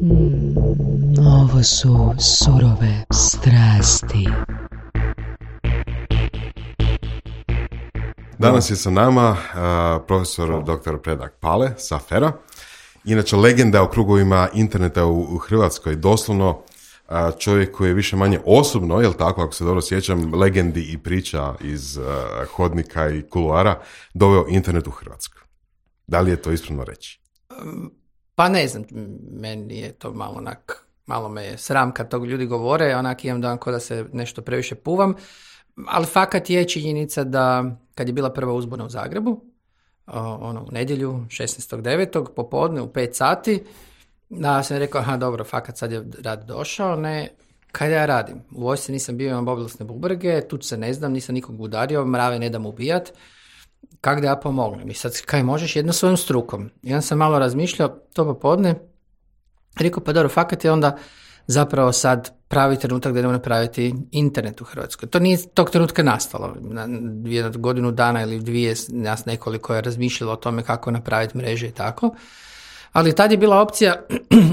Ovo su surove strasti. Danas je sa nama profesor dr. Predrag Pale sa FER-a. Inače, legenda u krugovima interneta u Hrvatskoj, doslovno čovjek koji je više manje osobno, jel tako, ako se dobro sjećam, legendi i priča iz hodnika i kuluara, doveo internet u Hrvatsku. Da li je to ispravno reći? Pa ne znam, meni je to malo me je sram kad tog ljudi govore, onak imam dan ko da se nešto previše puvam, ali fakat je činjenica da kad je bila prva uzbuna u Zagrebu, u nedjelju, 16.9. popodne u 5 sati, da sam rekao, aha dobro, fakat sad je rad došao, ne, kaj ja radim? U vojsci nisam bio, imam obilasne bubrege, tuč se ne znam, nisam nikog udario, mrave ne dam ubijat, kak da ja pomognem? I sad, kaj možeš? Jedno svojom strukom. I onda sam malo razmišljao, to popodne, rekao, pa dobro, fakat je onda zapravo sad pravi trenutak da idemo napraviti internet u Hrvatskoj. To nije tog trenutka nastalo. Jednu godinu dana ili dvije nas nekoliko je razmišljalo o tome kako napraviti mreže i tako. Ali tad je bila opcija,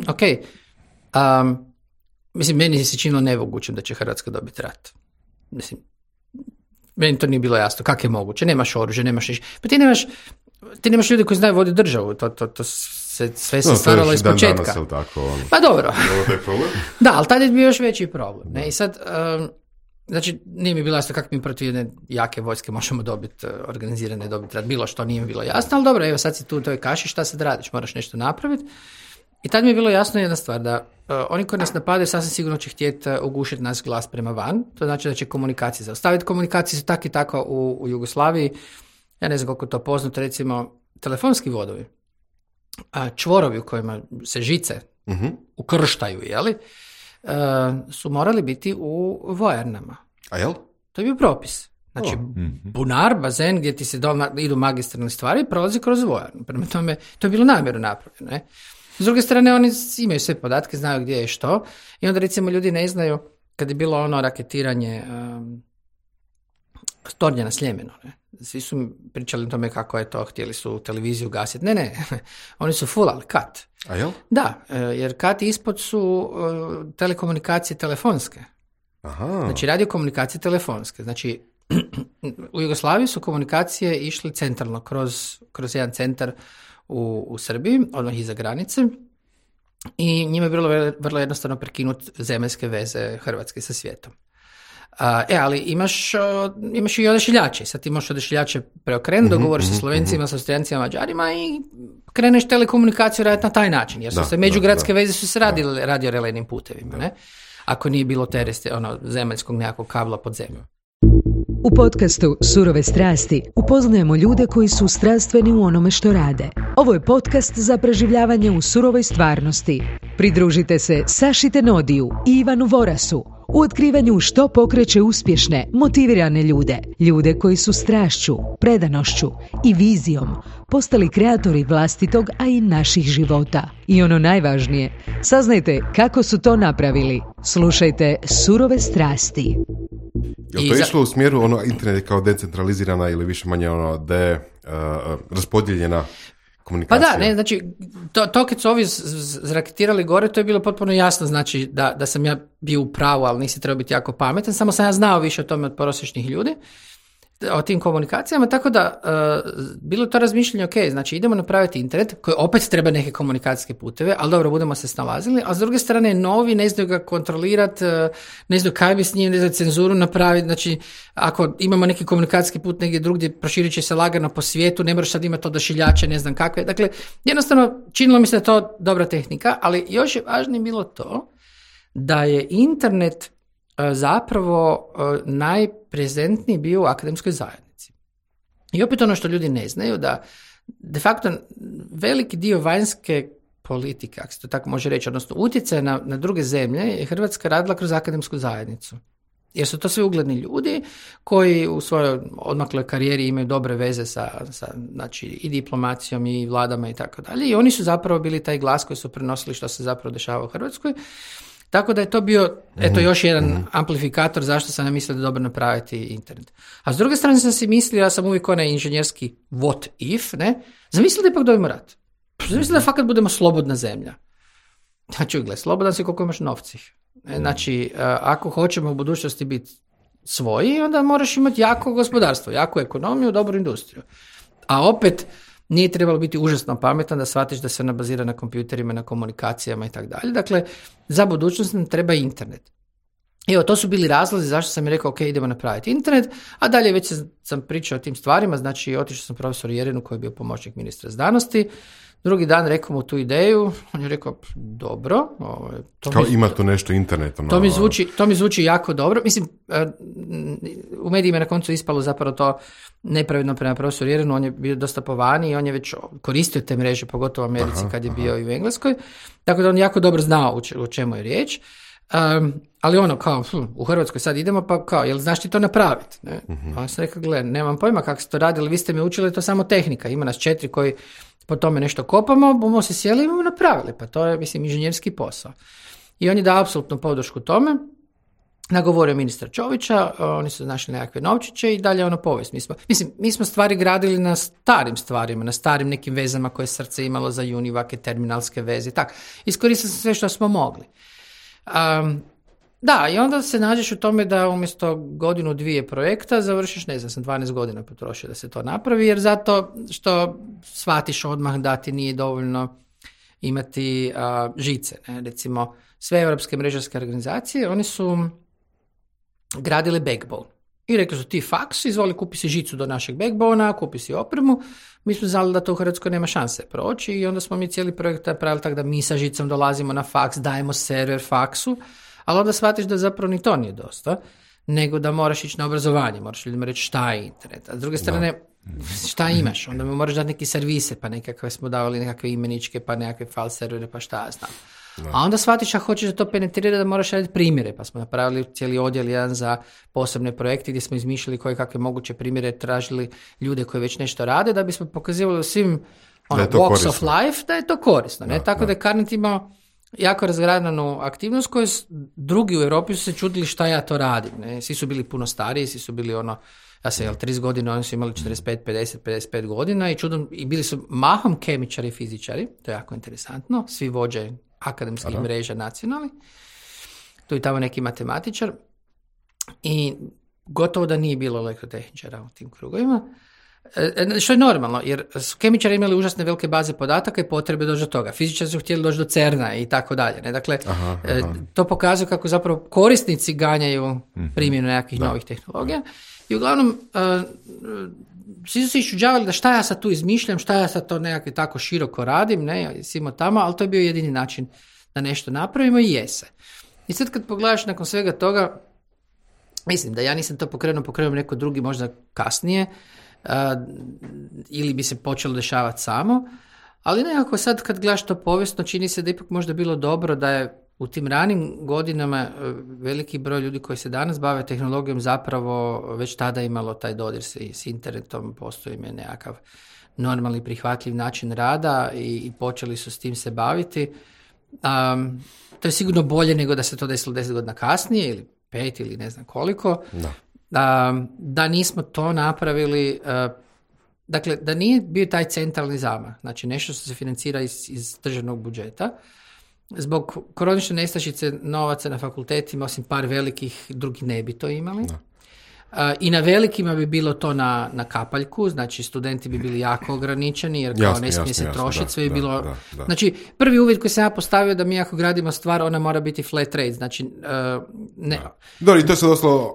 ok, mislim, meni se činilo nemoguće da će Hrvatska dobiti rat. Mislim, meni to nije bilo jasno. Kako je moguće? Nemaš oružje, nemaš ništa. Pa ti nemaš ljudi koji znaju voditi državu. To sve se stvaralo iz početka. Pa dobro. Da, ali tad je bio još veći problem. Ne? I sad, znači, nije mi bilo jasno kako mi protiv jedne jake vojske možemo dobiti rat. Bilo što nije mi bilo jasno, ali dobro, evo sad si tu u toj kaši, šta sad radiš? Moraš nešto napraviti. I tad mi je bilo jasno jedna stvar, da oni koji nas napadaju sasvim sigurno će htjeti ugušiti nas glas prema van. To znači da će komunikacije zaustaviti. Komunikacije su tak i tako u Jugoslaviji. Ja ne znam koliko je to poznato, recimo telefonski vodovi, čvorovi u kojima se žice ukrštaju, jeli, su morali biti u vojarnama. A jel? To je bio propis. Znači, bunar, bazen, gdje ti se idu magistralne stvari, prolazi kroz vojarnu. Prema tome, to je bilo namjerno napravljeno. Ne? S druge strane, oni imaju sve podatke, znaju gdje je što. I onda, recimo, ljudi ne znaju, kad je bilo ono raketiranje Tornja na Sljemenu, ne? Svi su pričali o tome kako je to, htjeli su televiziju gasiti. Ne, oni su fulali kat. A jel? Da, jer kat ispod su telekomunikacije telefonske. Aha. Znači, radiokomunikacije telefonske. Znači, u Jugoslaviji su komunikacije išli centralno, kroz jedan centar u Srbiji, odmah iza granice, i njima je bilo vrlo jednostavno prekinuti zemaljske veze Hrvatske sa svijetom. Ali imaš i odašiljače. Sad ti možeš odašiljače preokrenuti, dogovoriš sa Slovencima, sa Austrijancima, Mađarima i kreneš telekomunikaciju raditi na taj način, jer su se međugradske veze su se radile radiorelejnim putevima, ne? Ako nije bilo zemaljskog nekakvog kabla pod zemljom. U podcastu Surove strasti upoznajemo ljude koji su strastveni u onome što rade. Ovo je podcast za preživljavanje u surovoj stvarnosti. Pridružite se Saši Tenodiju i Ivanu Vorasu u otkrivanju što pokreće uspješne, motivirane ljude. Ljude koji su strašću, predanošću i vizijom postali kreatori vlastitog, a i naših života. I ono najvažnije, saznajte kako su to napravili. Slušajte Surove strasti. Je li to išlo u smjeru internet kao decentralizirana ili više manje raspodijeljena komunikacija? Pa da, ne, znači, to kad su ovi zraketirali gore, to je bilo potpuno jasno, znači da sam ja bio u pravu, ali nisi trebao biti jako pametan, samo sam ja znao više o tome od prosječnih ljudi, o tim komunikacijama, tako da bilo to razmišljanje, ok, znači idemo napraviti internet koji opet treba neke komunikacijske puteve, ali dobro, budemo se snalazili, a s druge strane novi ne znaju ga kontrolirati, ne znaju kaj bi s njim, ne znaju cenzuru napraviti, znači ako imamo neki komunikacijski put negdje drugdje, proširit će se lagano po svijetu, ne moraš sad imati odašiljače, ne znam kakve, dakle jednostavno činilo mi se da je to dobra tehnika, ali još je važnije bilo to da je internet zapravo najprezentniji bio u akademskoj zajednici. I opet ono što ljudi ne znaju, da de facto veliki dio vanjske politike, ako se to tako može reći, odnosno utjecaj na druge zemlje, je Hrvatska radila kroz akademsku zajednicu. Jer su to sve ugledni ljudi koji u svojoj odmakloj karijeri imaju dobre veze sa znači, i diplomacijom i vladama i tako dalje. I oni su zapravo bili taj glas koji su prenosili što se zapravo dešava u Hrvatskoj. Tako da je to bio, još jedan amplifikator zašto sam ja mislio da je dobro napraviti internet. A s druge strane sam si mislio, ja sam uvijek onaj inženjerski what if, ne? Zamislio da ipak dobijemo rat. Zamislio da fakat budemo slobodna zemlja. Znači, gle, slobodan si koliko imaš novci. Znači, ako hoćemo u budućnosti biti svoji, onda moraš imati jako gospodarstvo, jaku ekonomiju, dobru industriju. A opet, nije trebalo biti užasno pametan da shvatiš da se ona bazira na kompjuterima, na komunikacijama i tako dalje. Dakle, za budućnost nam treba internet. Evo, to su bili razlozi zašto sam mi rekao, ok, idemo napraviti internet, a dalje već sam pričao o tim stvarima, znači otišao sam profesoru Jerinu koji je bio pomoćnik ministra znanosti, drugi dan rekao mu tu ideju, on je rekao, dobro. Ima tu nešto internetom. To mi zvuči jako dobro. Mislim, u medijima je na koncu ispalo zapravo to nepravedno prema profesoru Jerinu, on je bio dosta po vani i on je već koristio te mreže, pogotovo u Americi kad je bio i u Engleskoj, tako da on jako dobro znao o čemu je riječ. Ali ono kao, u Hrvatskoj sad idemo, pa kao, jel znaš ti to napraviti? Ne? On sam rekao, gle, nemam pojma kako se to radili, vi ste mi učili, to samo tehnika, ima nas 4 koji po tome nešto kopamo, bomo se sjeli i bomo napravili, pa to je, mislim, inženjerski posao. I on je dao apsolutnu podršku tome, nagovorio ministra Čovića, oni su našli nekakve novčiće i dalje ono povijest. Mi smo stvari gradili na starim stvarima, na starim nekim vezama koje srce imalo za Univake, terminalske veze i tako. Iskoristili smo sve što smo mogli. Da, i onda se nađeš u tome da umjesto 1-2 projekta završiš, ne znam, sam 12 godina potrošio da se to napravi, jer zato što shvatiš odmah da ti nije dovoljno imati žice. Ne? Recimo, sve europske mrežarske organizacije, oni su gradili backbone. I rekli su ti faks, izvoli, kupi si žicu do našeg backbona, kupi si opremu. Mi smo znali da to u Hrvatskoj nema šanse proći i onda smo mi cijeli projekt napravili tako da mi sa žicom dolazimo na faks, dajemo server faksu, ali onda shvatiš da zapravo ni to nije dosta, nego da moraš ići na obrazovanje, moraš ljudima reći šta je internet. A s druge strane, šta imaš? Onda mi moraš dati neki servise, pa nekakve smo davali nekakve imeničke, pa nekakve file servere, pa šta ja znam. A onda shvatiš ako hoćeš da to penetrira da moraš raditi primjere, pa smo napravili cijeli odjel jedan za posebne projekte gdje smo izmišljali koje kakve moguće primjere, tražili ljude koji već nešto rade da bismo pokazivali svim walks of life da je to korisno. Ne? Tako da je Carnet imao jako razgradanu aktivnost koju drugi u Europi su se čudili šta ja to radim. Ne? Svi su bili puno stariji, svi su bili ja sam 30 godina, oni su imali 45, 50, 55 godina i bili su mahom kemičari i fizičari, to je jako interesantno, svi vođe akademskih mreža nacionalnih, tu i tamo neki matematičar i gotovo da nije bilo elektrotehničara u tim krugovima, što je normalno, jer su kemičari imali užasne velike baze podataka i potrebe doći do toga. Fizičari su htjeli doći do CERN-a i tako dalje. Ne? Dakle, to pokazuje kako zapravo korisnici ganjaju primjenu nekakvih novih tehnologija i uglavnom svi su se iščuđavali da šta ja sad tu izmišljam, šta ja sad to nekako tako široko radim, ne, simo tamo, ali to je bio jedini način da nešto napravimo i jese. I sad kad pogledaš nakon svega toga, mislim da ja nisam to pokrenuo neko drugi možda kasnije, ili bi se počelo dešavati samo, ali nekako sad kad gledaš to povijesno, čini se da ipak možda bilo dobro da je u tim ranim godinama veliki broj ljudi koji se danas bave tehnologijom zapravo već tada imalo taj dodir s internetom, postoji nekakav normalni prihvatljiv način rada i počeli su s tim se baviti. To je sigurno bolje nego da se to desilo 10 godina kasnije ili 5 ili ne znam koliko. Da nismo to napravili, dakle da nije bio taj centralni zamah, znači nešto što se financira iz državnog budžeta. Zbog kronične nestašice novaca na fakultetima, osim par velikih, drugi ne bi to imali. I na velikima bi bilo to na kapaljku, znači studenti bi bili jako ograničeni jer kao ne smije se trošiti, sve bi bilo... Da. Znači, prvi uvjet koji sam ja postavio da mi ako gradimo stvar, ona mora biti flat rate, znači ne. Da, i to se doslovno...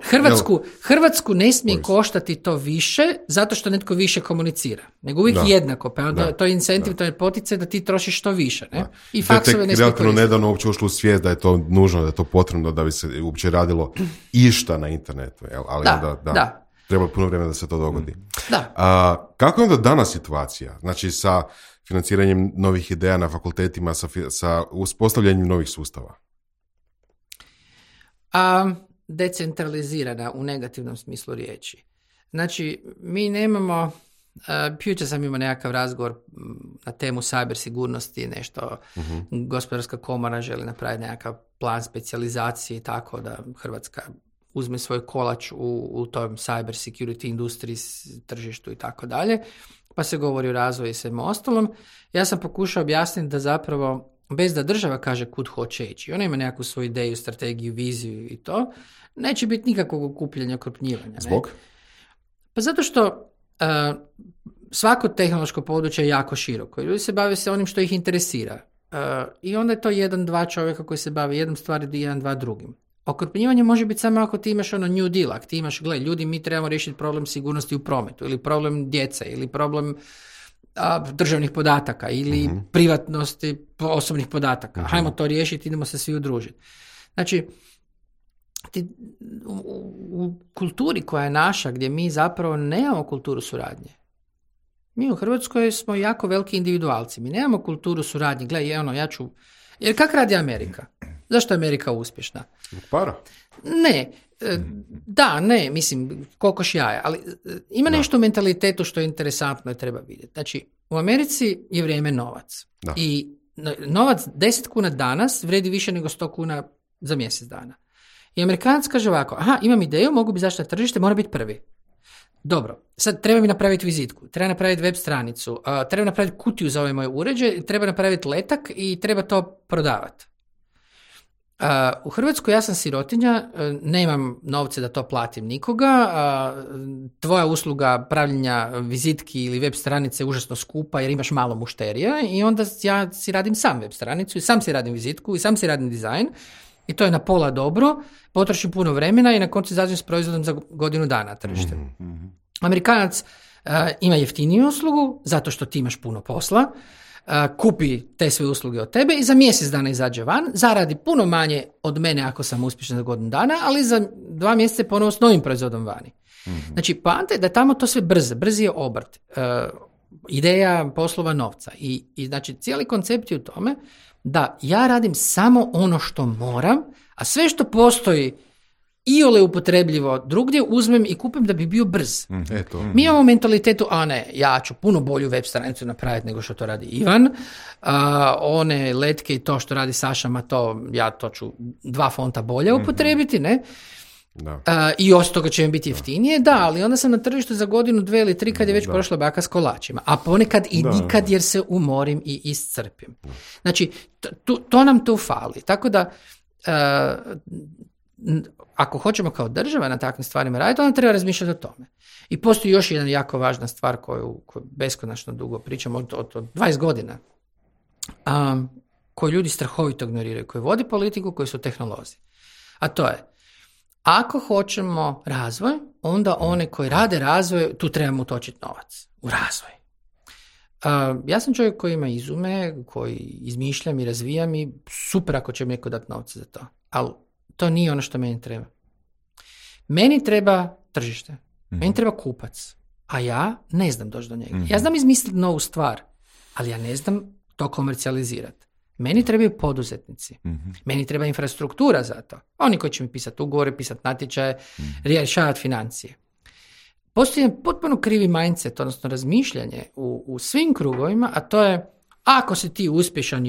Hrvatsku ne smije koštati to više zato što netko više komunicira, nego uvijek jednako, pa onda to je incentiv, to je poticaj da ti trošiš što više, ne? I faksove ne smije koristiti. Nedavno uopće ušlo u svijest da je to nužno, da je to potrebno da bi se uopće radilo išta na internetu, jel? Ali da. Treba puno vremena da se to dogodi. Kako je onda danas situacija? Znači sa financiranjem novih ideja na fakultetima, sa uspostavljanjem novih sustava? Decentralizirana u negativnom smislu riječi. Znači, mi nemamo... Jučer sam imao nekakav razgovor na temu cyber sigurnosti, nešto gospodarska komora želi napraviti nekakav plan specijalizacije i tako da Hrvatska uzme svoj kolač u tom cyber security industriji, tržištu i tako dalje, pa se govori o razvoju i svemu ostalom. Ja sam pokušao objasniti da zapravo bez da država kaže kud hoće ići, ona ima nekakvu svoju ideju, strategiju, viziju i to, neće biti nikakvog okupljanja, okrupnjivanja. Zbog? Pa zato što svako tehnološko područje je jako široko. Ljudi se bave se onim što ih interesira. I onda je to 1-2 čovjeka koji se bave jednom stvari, 1-2 drugim. Okrupnjivanje može biti samo ako ti imaš New Deal, ako ti imaš, ljudi, mi trebamo riješiti problem sigurnosti u prometu, ili problem djece, ili problem državnih podataka, ili privatnosti osobnih podataka. Hajmo to riješiti, idemo se svi udružiti. Znači, u kulturi koja je naša, gdje mi zapravo nemamo kulturu suradnje. Mi u Hrvatskoj smo jako veliki individualci. Mi nemamo kulturu suradnje. Jer kak radi Amerika? Zašto je Amerika uspješna? Para. Mislim, kokoš jaja. Ali ima nešto u mentalitetu što je interesantno i treba vidjeti. Znači, u Americi je vrijeme novac. Da. I novac 10 kuna danas vredi više nego 100 kuna za mjesec dana. I Amerikanac kaže ovako, imam ideju, mogu bi zašto na tržište, mora biti prvi. Dobro, sad treba mi napraviti vizitku, treba napraviti web stranicu, treba napraviti kutiju za ovaj moj uređaj, treba napraviti letak i treba to prodavati. U Hrvatskoj ja sam sirotinja, nemam novce da to platim nikoga, tvoja usluga pravljenja vizitki ili web stranice je užasno skupa jer imaš malo mušterija i onda ja si radim sam web stranicu i sam si radim vizitku i sam si radim dizajn i to je na pola dobro, potrošim puno vremena i na koncu izađem s proizvodom za godinu dana tržište. Amerikanac ima jeftiniju uslugu zato što ti imaš puno posla, kupi te sve usluge od tebe i za mjesec dana izađe van, zaradi puno manje od mene ako sam uspješan za godinu dana, ali za 2 mjeseca ponovo s novim proizvodom vani. Znači, poanta je da tamo to sve brzi je obrt, ideja poslova novca i znači cijeli koncept je u tome da ja radim samo ono što moram, a sve što postoji iole upotrebljivo drugdje uzmem i kupim da bi bio brz. Mi imamo mentalitetu, ja ću puno bolju web stranicu napraviti nego što to radi Ivan, one letke i to što radi Saša, to ću 2 fonta bolje upotrebiti, ne? I osim toga će mi biti jeftinije, ali onda sam na tržištu za godinu, 2 ili 3 kad je već prošla baka s kolačima, a ponekad i nikad jer se umorim i iscrpim. Znači, to nam tu fali. Tako da, ako hoćemo kao država na takvim stvarima raditi, onda treba razmišljati o tome. I postoji još jedna jako važna stvar koju beskonačno dugo pričamo, od 20 godina, koju ljudi strahovito ignoriraju, koji vodi politiku, koji su tehnolozi. A to je, ako hoćemo razvoj, onda one koji rade razvoj, tu trebamo utočiti novac u razvoj. Ja sam čovjek koji ima izume, koji izmišljam i razvijam i super ako će mi neko dati novce za to. Ali to nije ono što meni treba. Meni treba tržište. Meni treba kupac. A ja ne znam doći do njega. Ja znam izmisliti novu stvar, ali ja ne znam to komercijalizirati. Meni trebaju poduzetnici. Meni treba infrastruktura za to. Oni koji će mi pisati ugovore, pisati natječaje, rješavati financije. Postoji jedan potpuno krivi mindset, odnosno razmišljanje u svim krugovima, a to je ako si ti uspješan,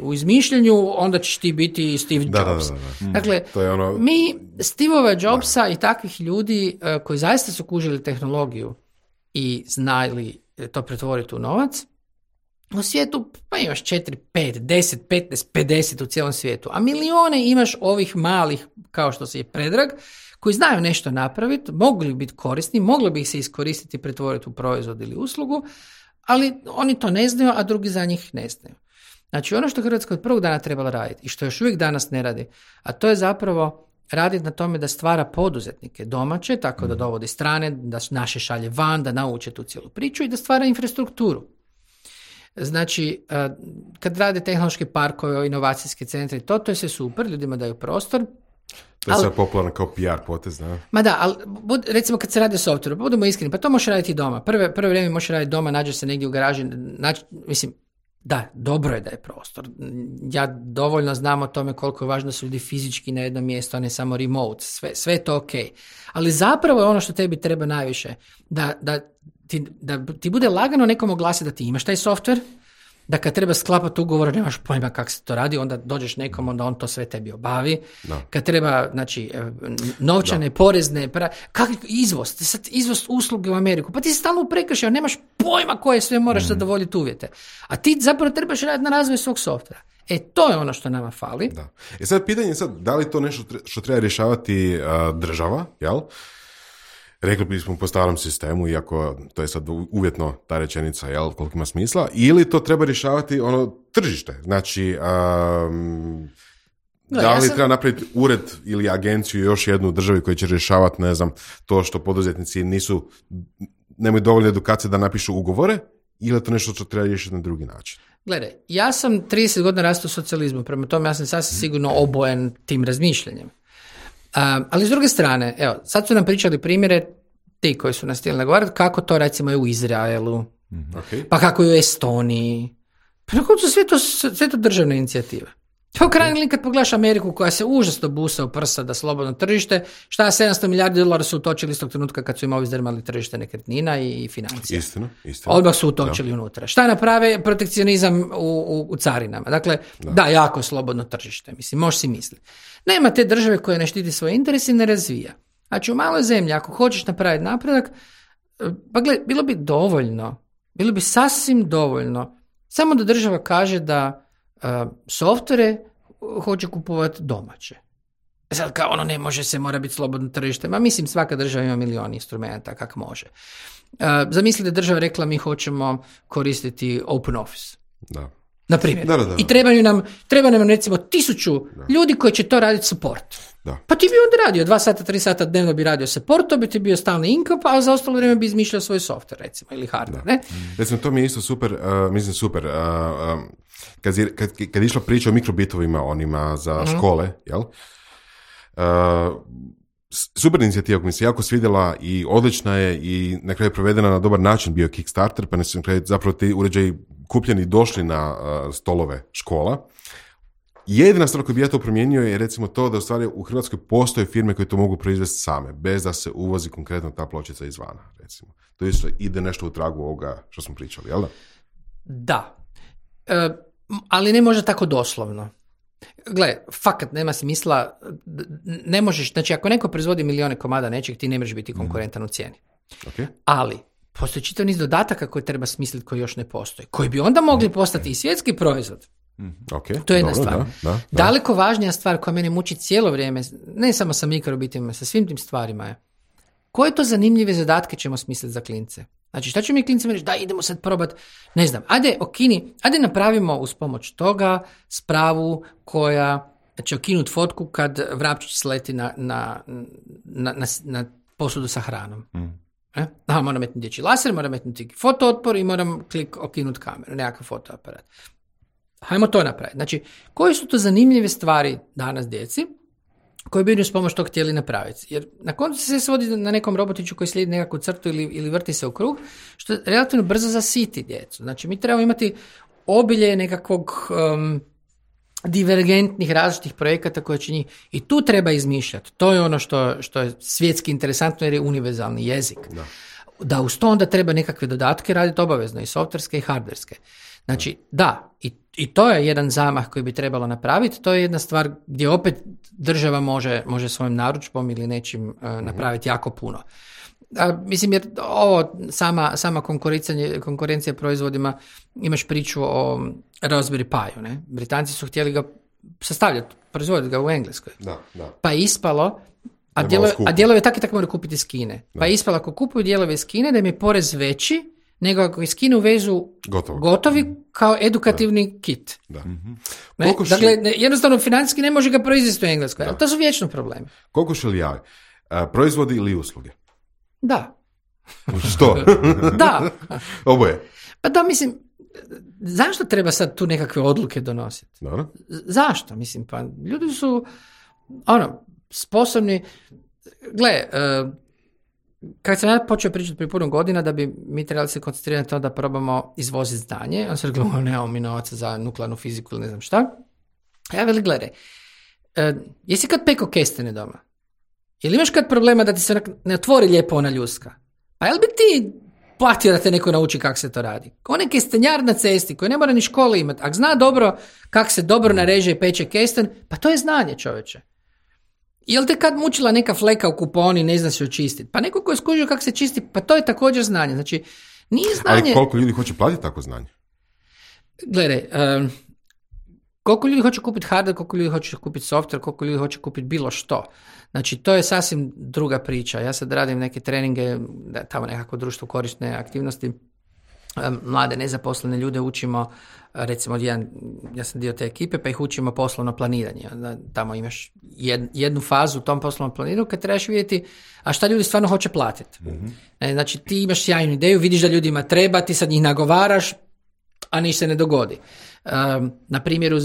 u izmišljanju, onda ćeš ti biti Steve Jobs. Dakle, to je mi Steveova Jobsa i takvih ljudi koji zaista su kužili tehnologiju i znali to pretvoriti u novac, u svijetu pa imaš 4, 5, 10, 15, 50 u cijelom svijetu, a milijone imaš ovih malih, kao što se je Predrag, koji znaju nešto napraviti, mogli biti korisni, moglo bi ih se iskoristiti i pretvoriti u proizvod ili uslugu, ali oni to ne znaju, a drugi za njih ne znaju. Znači, ono što Hrvatska od prvog dana trebala raditi i što još uvijek danas ne radi, a to je zapravo raditi na tome da stvara poduzetnike domaće, tako da dovodi strane, da naše šalje van, da nauče tu cijelu priču i da stvara infrastrukturu. Znači, kad rade tehnološki parkovi, inovacijski centri, to je sve super, ljudima daju prostor. To je sad popularno kao PR potez, da? Ma da, ali recimo kad se radi o softveru, budemo iskreni, pa to možeš raditi i doma. Prvo vrijeme možeš raditi doma, nađeš se negdje u garaži, da, dobro je da je prostor. Ja dovoljno znam o tome koliko je važno da su ljudi fizički na jednom mjestu, a ne samo remote. Sve je to ok. Ali zapravo je ono što tebi treba najviše, da ti bude lagano nekom oglasiti da ti imaš taj softver, da kad treba sklapati ugovor, nemaš pojma kako se to radi, onda dođeš nekom, onda on to sve tebi obavi. Da. Kad treba, znači, novčane, porezne, kakvi izvoz usluge u Ameriku, pa ti si stalno u prekršaju, nemaš pojma koje sve moraš zadovoljiti uvjete. A ti zapravo trebaš raditi na razvoju svog softvera. To je ono što nama fali. Da. Sad pitanje je da li to nešto što treba rješavati država, jel? Rekli bismo po starom sistemu, iako to je sad uvjetno ta rečenica, jel, koliko ima smisla, ili to treba rješavati tržište. Znači, da li treba napraviti ured ili agenciju još jednu u državi koji će rješavati, ne znam, to što poduzetnici nemaju dovoljno edukacije da napišu ugovore, ili je to nešto što treba riješiti na drugi način? Gledaj, ja sam 30 godina rastao u socijalizmu, prema tome ja sam sasvim sigurno obojen tim razmišljanjem. Ali s druge strane, evo, sad su nam pričali primjere ti koji su nas htjeli nagovarati kako to recimo je u Izraelu, pa kako je u Estoniji, pa na koncu sve to državne inicijative. Pa u krajnjoj liniji kad pogledaš Ameriku koja se užasno busa u prsa da slobodno tržište, šta $700 milijardi su utočili istog trenutka kad su im ovi zdrmali tržište nekretnina i financija. Istina. Odmah su utočili unutra. Šta naprave? Protekcionizam u carinama. Dakle, da, jako slobodno tržište. Mislim, možeš si misliti. Nema te države koja ne štiti svoje interese i ne razvija. Znači, u maloj zemlji, ako hoćeš napraviti napredak, pa gledaj, bilo bi sasvim dovoljno, samo da država kaže da softvere hoće kupovati domaće. Sad kao ne može se, mora biti slobodno tržište. Ma mislim, svaka država ima milion instrumenta kak može. Zamislite, država rekla mi hoćemo koristiti Open Office. Da. Na primjer. Da. I treba nam recimo 1000 ljudi koji će to raditi support. Da. Pa ti bi onda radio 2 sata, 3 sata dnevno bi radio support, to bi ti bio stalni income, a za ostalo vrijeme bi izmišljao svoj software recimo ili hardware. Ne? Recimo, to mi je isto super, kad je išla priča o mikrobitovima onima za škole, jel? Super inicijativa koja mi se jako svidjela i odlična je i na kraju provedena na dobar način, bio Kickstarter, pa su na kraju zapravo ti uređaji kupljeni došli na stolove škola. Jedina stvar koju bi ja to promijenio je recimo to da u stvari u Hrvatskoj postoje firme koje to mogu proizvesti same, bez da se uvozi konkretno ta pločica izvana, recimo. To isto ide nešto u tragu ovoga što smo pričali, jel da? Da. Ali ne može tako doslovno. Gle, fakat nema smisla, ne možeš, znači ako neko proizvodi milijone komada nečeg, ti ne možeš biti konkurentan u cijeni. Okay. Ali, postoji čitav niz dodataka koje treba smisliti koji još ne postoji, koji bi onda mogli postati i svjetski proizvod. Okay, to je jedna dobro, stvar. Da. Daleko važnija stvar koja mene muči cijelo vrijeme, ne samo sa mikrobitima, sa svim tim stvarima je, koje to zanimljive zadatke ćemo smisliti za klince? Znači, šta će mi klincima reći? Da, idemo sad probati, ne znam, ajde napravimo uz pomoć toga spravu koja će okinuti fotku kad vrapčić sleti na posudu sa hranom. Moram metnuti dječji laser, moram metnuti fotootpor i moram okinuti kameru, nekakav fotoaparat. Hajmo to napraviti. Znači, koje su to zanimljive stvari danas djeci koji bi s pomoć tog htjeli napraviti? Jer na koncu se svodi na nekom robotiću koji slijedi nekakvu crtu ili vrti se u krug, što relativno brzo zasiti djecu. Znači, mi trebamo imati obilje nekakvog divergentnih različitih projekata koje će njih... I tu treba izmišljati. To je ono što je svjetski interesantno jer je univerzalni jezik. Da uz to onda treba nekakve dodatke raditi obavezno, i softverske i hardverske. Znači, da, i to je jedan zamah koji bi trebalo napraviti, to je jedna stvar gdje opet država može svojim narudžbom ili nečim napraviti jako puno. Mislim, jer ovo sama konkurencija proizvodima, imaš priču o Raspberry Piu, ne? Britanci su htjeli ga sastavljati, proizvoditi ga u Engleskoj. Da. Pa je ispalo, a dijelove tak i tako moraju kupiti iz Kine. Pa je ispalo, ako kupuju dijelove iz Kine, da im je porez veći nego ako iz Kine uvezu gotovi kao edukativni kit. Da. Dakle, jednostavno financijski ne može ga proizvesti u Engleskoj. To su vječno problemi. Koliko šeli javi? Proizvodi ili usluge? Da. Što? Da. Oboje. Pa da, mislim, zašto treba sad tu nekakve odluke donositi? Dobro. Zašto? Mislim, pa ljudi su sposobni. Gle, kad sam ja počeo pričati prije puno godina da bi mi trebali se koncentrirati na to da probamo izvoziti znanje, on se rekao, nemamo mi novaca za nuklearnu fiziku ili ne znam šta. Ja veli, gledaj, jesi kad peko kestene doma? Ili imaš kad problema da ti se ne otvori lijepo ona ljuska? Pa jel bi ti platio da te neko nauči kako se to radi? Onaj kestenjar na cesti koji ne mora ni škole imati, ako zna dobro kako se dobro nareže i peče kesten, pa to je znanje, čoveče. Jel te kad mučila neka fleka u kuponi, ne zna se očistiti? Pa neko ko je skužio kako se čisti, pa to je također znanje. Znači, nije znanje... Ali koliko ljudi hoće platiti tako znanje? Gledaj, Koliko ljudi hoće kupiti hardware, koliko ljudi hoće kupiti software, koliko ljudi hoće kupiti bilo što. Znači, to je sasvim druga priča. Ja sad radim neke treninge, tamo nekako društvo korisne aktivnosti, mlade nezaposlene ljude učimo, recimo ja sam dio te ekipe, pa ih učimo poslovno planiranje. Tamo imaš jednu fazu u tom poslovnom planiranju kad trebaš vidjeti a šta ljudi stvarno hoće platiti. Znači, ti imaš sjajnu ideju, vidiš da ljudima treba, ti sad njih nagovaraš, a ništa se ne dogodi. Na primjeru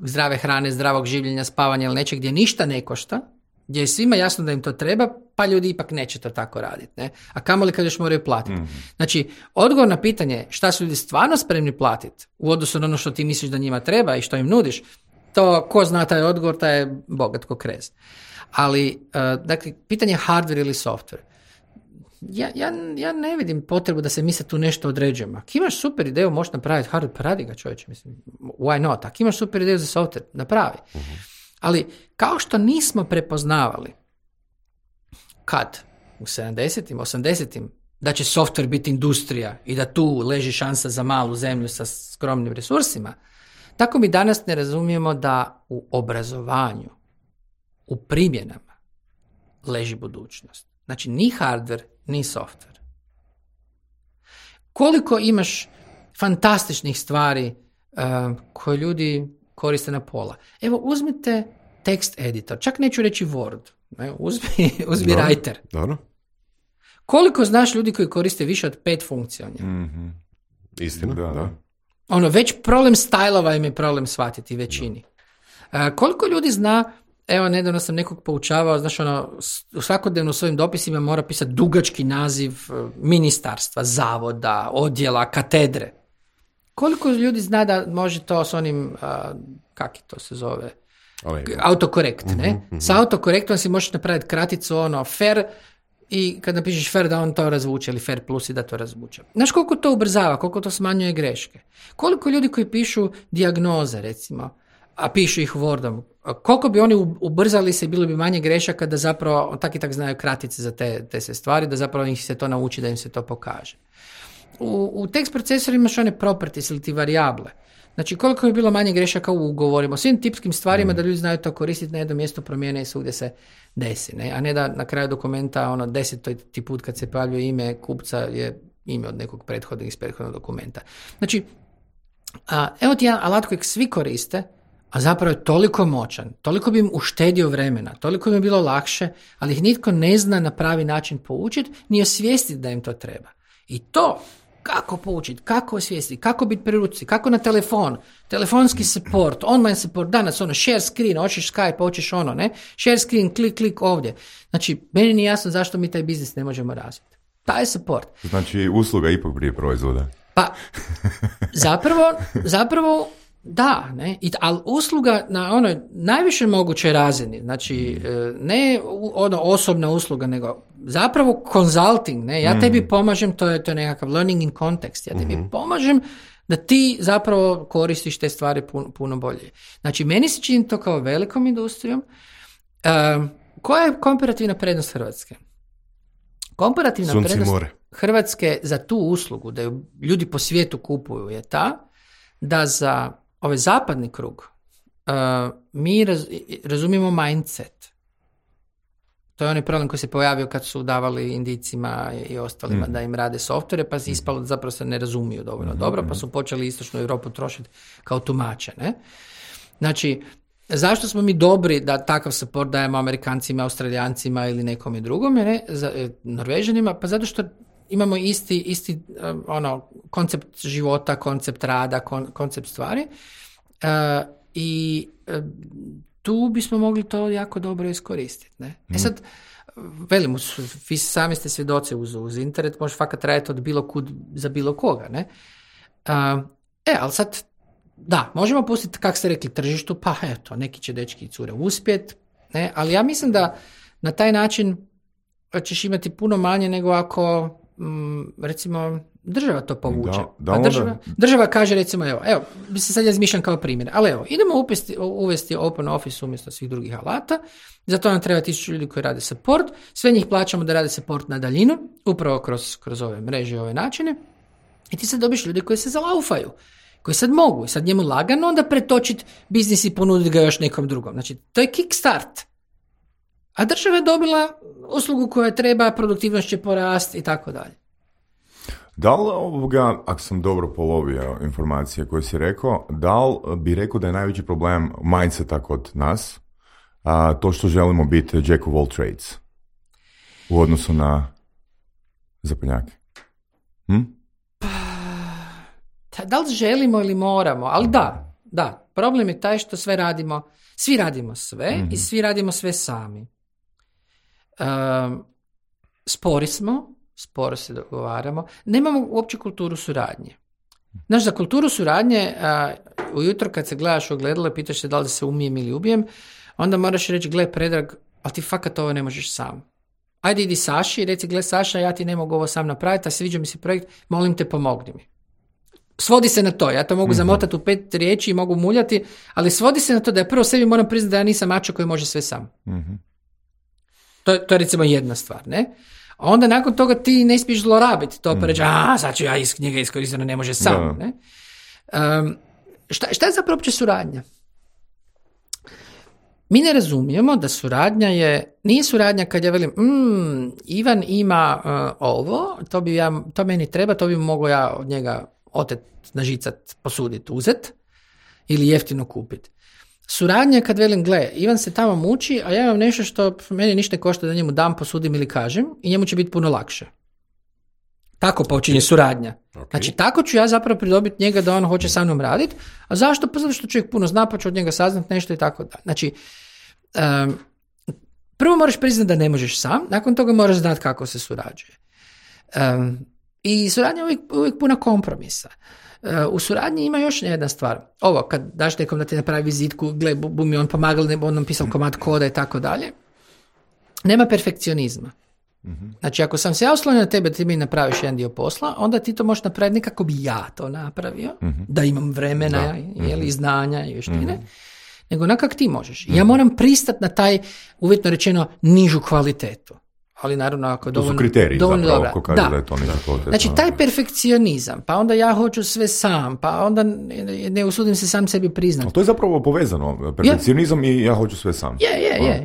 zdrave hrane, zdravog življenja, spavanja ili nečeg gdje ništa ne košta, gdje je svima jasno da im to treba, pa ljudi ipak neće to tako raditi. Ne? A kamoli kad još moraju platiti. Znači, odgovor na pitanje šta su ljudi stvarno spremni platiti u odnosu na ono što ti misliš da njima treba i što im nudiš, to ko zna taj odgovor, taj je bogat ko krez. Ali, dakle, pitanje je hardware ili software. Ja ne vidim potrebu da se mi sad tu nešto određujemo. Ako imaš super ideju, možeš napraviti hardware, pa radi ga čovječe, mislim, why not? Ako imaš super ideju za software, napravi. Ali, kao što nismo prepoznavali kad u 70-im, 80-im, da će software biti industrija i da tu leži šansa za malu zemlju sa skromnim resursima, tako mi danas ne razumijemo da u obrazovanju, u primjenama, leži budućnost. Znači, ni hardware, ni software. Koliko imaš fantastičnih stvari koje ljudi koriste na pola. Evo, uzmite text editor, čak neću reći Word, ne? Uzmi Writer. Dobro. Koliko znaš ljudi koji koriste više od 5 funkcija? Istina, da. Ono, već problem stajlova im je problem shvatiti većini. Koliko ljudi zna, evo, nedavno sam nekog poučavao, znaš, ono, svakodnevno u svojim dopisima mora pisati dugački naziv ministarstva, zavoda, odjela, katedre. Koliko ljudi zna da može to s onim, kak je to se zove, autokorekt, ne? Sa autokorektom si možeš napraviti kraticu, ono, fer, i kad napišeš fer da on to razvuče, ili fer plus i da to razvuče. Znaš koliko to ubrzava, koliko to smanjuje greške? Koliko ljudi koji pišu dijagnoze, recimo, a pišu ih Wordom, koliko bi oni ubrzali se i bilo bi manje grešaka da zapravo tak i tak znaju kratice za te sve stvari, da zapravo ih se to nauči, da im se to pokaže. U tekst procesorima imaš one properties ili ti varijable. Znači, koliko bi bilo manje grešaka u ugovorima, svim tipskim stvarima da ljudi znaju to koristiti na jednom mjestu, promijene i svugdje se desi. Ne? A ne da na kraju dokumenta, 10. put kad se pojavljuje ime kupca je ime od nekog prethodnog dokumenta. Znači, evo ti jedan alat kojeg svi koriste, a zapravo je toliko moćan, toliko bi im uštedio vremena, toliko bi im bilo lakše, ali ih nitko ne zna na pravi način poučiti, ni osvijestiti da im to treba. I to kako poučiti, kako osvijestiti, kako biti pri ruci, kako na telefon, telefonski support, online support, danas share screen, hoćeš Skype, hoćeš ne, share screen, klik ovdje. Znači, meni nije jasno zašto mi taj biznis ne možemo razviti. Taj support. Znači, usluga ipak prije proizvoda. Pa, zapravo da, ne, ali usluga na onoj najviše mogućoj razini, znači ne osobna usluga, nego zapravo consulting, ne, ja tebi pomažem, to je nekakav learning in context, ja tebi pomažem da ti zapravo koristiš te stvari puno bolje. Znači, meni se čini to kao velikom industrijom. Koja je komparativna prednost Hrvatske? Komparativna prednost Hrvatske za tu uslugu, da ju ljudi po svijetu kupuju, je ta da za ovaj zapadni krug mi razumijemo mindset. To je onaj problem koji se pojavio kad su davali Indijcima i ostalima da im rade softvere, pa se ispalo da zapravo se ne razumiju dovoljno dobro, pa su počeli istočnu Europu trošiti kao tumače. Ne? Znači, zašto smo mi dobri da takav support dajemo Amerikancima, Australijancima ili nekome drugome, ne? Norvežanima? Pa zato što imamo isti koncept života, koncept rada, koncept stvari i tu bismo mogli to jako dobro iskoristiti. Ne? Sad, velim, vi sami ste svjedoci uz internet, može fakat raditi od bilo kud za bilo koga. Ne? Ali sad, da, možemo pustiti, kak ste rekli, tržištu, pa eto, neki će dečki i cure uspjet, ne? Ali ja mislim da na taj način ćeš imati puno manje nego ako recimo država to povuče. Država kaže recimo, evo, bi se sad ja izmišljam kao primjer, ali evo, idemo uvesti Open Office umjesto svih drugih alata, za to nam treba 1000 ljudi koji rade support, sve njih plaćamo da rade support na daljinu, upravo kroz ove mreže i ove načine, i ti sad dobiš ljudi koji se zalaufaju, koji sad mogu, sad njemu lagano onda pretočiti biznis i ponuditi ga još nekom drugom. Znači, to je kickstart. A država je dobila uslugu koja treba, produktivnost će porasti i tako dalje. Da li ako sam dobro polovio informacije koje si rekao, da li bi rekao da je najveći problem mindseta kod nas, to što želimo biti jack of all trades u odnosu na zapadnjake? Da li želimo ili moramo, ali da. Problem je taj što svi radimo sve i svi radimo sve sami. Spori smo, sporo se dogovaramo, nemamo uopće kulturu suradnje. Znaš, za kulturu suradnje, ujutro kad se gledaš u ogledalo i pitaš se da li se umijem ili ubijem, onda moraš reći, gle Predrag, ali ti fakat ovo ne možeš sam. Ajde idi Saši i reci, gle Saša, ja ti ne mogu ovo sam napraviti, a sviđa mi se projekt, molim te pomogni mi. Svodi se na to, ja to mogu zamotati u 5 riječi i mogu muljati, ali svodi se na to da ja prvo sebi moram priznati da ja nisam mačo koji može sve sam. To je recimo jedna stvar, ne? A onda nakon toga ti ne smiješ zlorabiti to, pa reći, sad ću ja njega iskoristiti, ne može sam. Ne? Šta je zapravo uopće suradnja? Mi ne razumijemo da suradnja nije suradnja kad ja velim, Ivan ima ovo, to meni treba, to bi mogao ja od njega otet, nažicat, posuditi, uzet ili jeftino kupiti. Suradnja kad velim, gle, Ivan se tamo muči, a ja imam nešto što meni ništa ne košta da njemu dam, posudim ili kažem i njemu će biti puno lakše. Tako počinje suradnja. Okay. Znači, tako ću ja zapravo pridobiti njega da on hoće sa mnom raditi. A zašto? Pa zato što čovjek puno zna, pa ću od njega saznat nešto i tako da. Znači, prvo moraš priznati da ne možeš sam, nakon toga moraš znati kako se surađuje. I suradnja je uvijek puna kompromisa. U suradnji ima još jedna stvar. Ovo, kad daš nekom da ti napravi vizitku, gle, bu mi on pomagal, ne on nam pisao komad koda i tako dalje, nema perfekcionizma. Znači, ako sam se ja oslonio na tebe da ti mi napraviš jedan dio posla, onda ti to možeš napraviti ne kako bi ja to napravio, da imam vremena, i znanja i vještine, nego na kak ti možeš. Ja moram pristati na taj, uvjetno rečeno, nižu kvalitetu. Ali naravno ako je dovoljno... To su kriteriji zapravo, ko kaže da je to niža kvaliteta. Znači, taj perfekcionizam, pa onda ja hoću sve sam, pa onda ne usudim se sam sebi priznati. Ali to je zapravo povezano, perfekcionizam i ja hoću sve sam.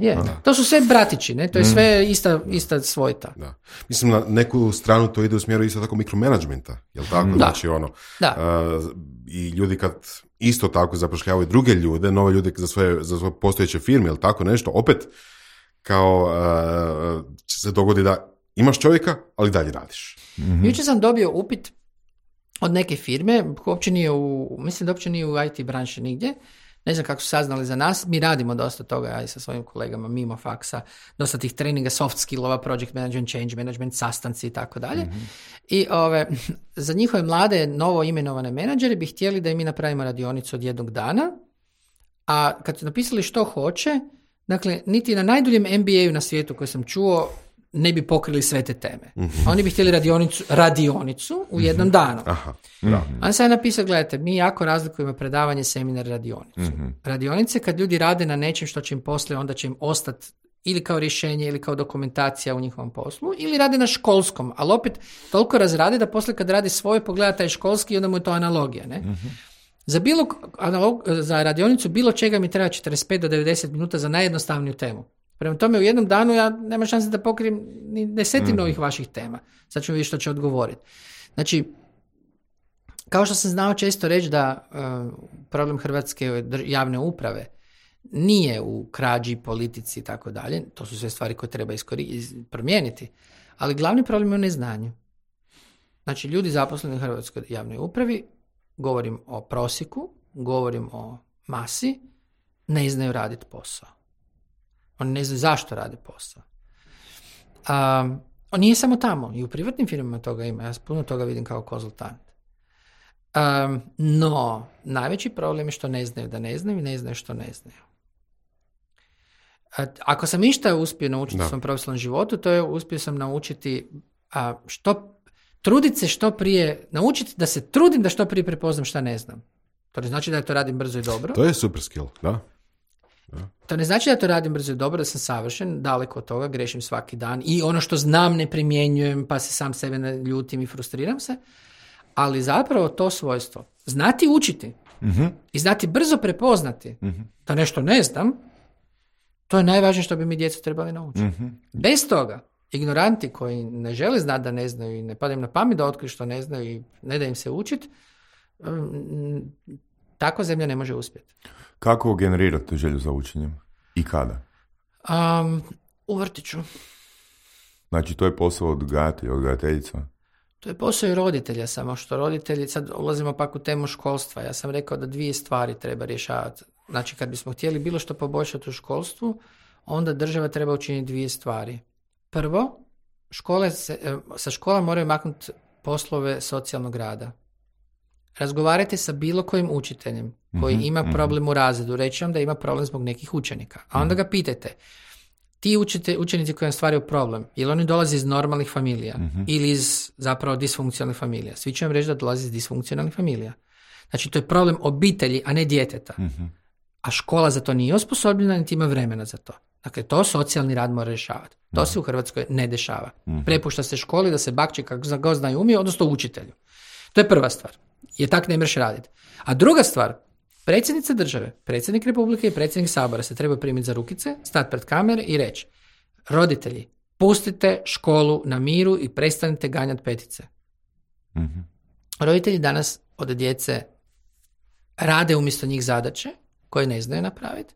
Je. To su sve bratići, ne? To je sve ista svojta. Da. Mislim, na neku stranu to ide u smjeru isto tako mikromanagementa, jel tako? Da. Znači, i ljudi kad isto tako zapošljavaju druge ljude, nove ljude za svoje postojeće firme, jel tako nešto, opet kao će se dogodi da imaš čovjeka, ali dalje radiš. Jučer sam dobio upit od neke firme, mislim da uopće nije u IT branši nigdje, ne znam kako su saznali za nas, mi radimo dosta toga, ja i sa svojim kolegama mimo faksa, dosta tih treninga, soft skillova, project management, change management, sastanci i tako dalje. I za njihove mlade, novo imenovane menadžere bi htjeli da im mi napravimo radionicu od jednog dana, a kad su napisali što hoće, dakle, niti na najduljem MBA-u na svijetu koji sam čuo ne bi pokrili sve te teme. Oni bi htjeli radionicu u jednom danu. Onda sam napisao, gledajte, mi jako razlikujemo predavanje, seminar, radionicu. Radionice kad ljudi rade na nečem što će im poslije, onda će im ostati ili kao rješenje ili kao dokumentacija u njihovom poslu, ili rade na školskom, ali opet toliko razrade da poslije kad radi svoje pogleda taj školski i onda mu je to analogija. Ne? Za radionicu bilo čega mi treba 45 do 90 minuta za najjednostavniju temu. Prema tome u jednom danu ja nema šanse da pokrijem ni desetinu ovih vaših tema. Sad ćemo vidjeti što će odgovoriti. Znači, kao što sam znao često reći da problem hrvatske javne uprave nije u krađi, politici i tako dalje, to su sve stvari koje treba promijeniti, ali glavni problem je u neznanju. Znači, ljudi zaposleni u hrvatskoj javnoj upravi, govorim o prosjeku, govorim o masi, ne znaju raditi posao. Oni ne znaju zašto rade posao. On nije samo tamo, i u privatnim firmama toga ima, ja puno toga vidim kao konzultant. No, najveći problem je što ne znaju da ne znaju i ne znaju što ne znaju. Ako sam išta uspio naučiti u svom profesionalnom životu, to je uspio sam naučiti truditi se što prije, naučiti da se trudim da što prije prepoznam šta ne znam. To ne znači da to radim brzo i dobro. To je super skill, da. To ne znači da to radim brzo i dobro, da sam savršen, daleko od toga, grešim svaki dan i ono što znam ne primjenjujem, pa se sam sebe ljutim i frustriram se, Ali zapravo to svojstvo, znati učiti i znati brzo prepoznati da nešto ne znam, to je najvažnije što bi mi djecu trebali naučiti. Bez toga, ignoranti koji ne žele znati da ne znaju i ne pada im na pamet da otkriju što ne znaju i ne da im se učiti, takva zemlja ne može uspjeti. Kako generirate želju za učenjem? I kada? U vrtiću. Znači, to je posao odgajatelja, odgajateljica? To je posao i roditelja, samo što roditelji, sad ulazimo pak u temu školstva. Ja sam rekao da 2 stvari treba rješavati. Znači, kad bismo htjeli bilo što poboljšati u školstvu, onda država treba učiniti 2 stvari. Prvo, sa škola moraju maknuti poslove socijalnog rada. Razgovarajte sa bilo kojim učiteljem koji ima problem u razredu, reći vam da ima problem zbog nekih učenika. A onda ga pitajte, ti učenici koji vam stvaraju problem, je li oni dolaze iz normalnih familija ili iz zapravo disfunkcionalnih familija? Svi će vam reći da dolaze iz disfunkcionalnih familija. Znači, to je problem obitelji, a ne djeteta. A škola za to nije osposobljena, niti ima vremena za to. Dakle, to socijalni rad mora rješavati. To se u Hrvatskoj ne dešava. Prepušta se školi da se bakće kako god zna i umije, odnosno učitelju. To je prva stvar. Jer tak ne mreš raditi. A druga stvar, predsjednica države, predsjednik Republike i predsjednik Sabora se treba primiti za rukice, stati pred kamere i reći: roditelji, pustite školu na miru i prestanite ganjati petice. Roditelji danas od djece rade umjesto njih zadaće koje ne znaju napraviti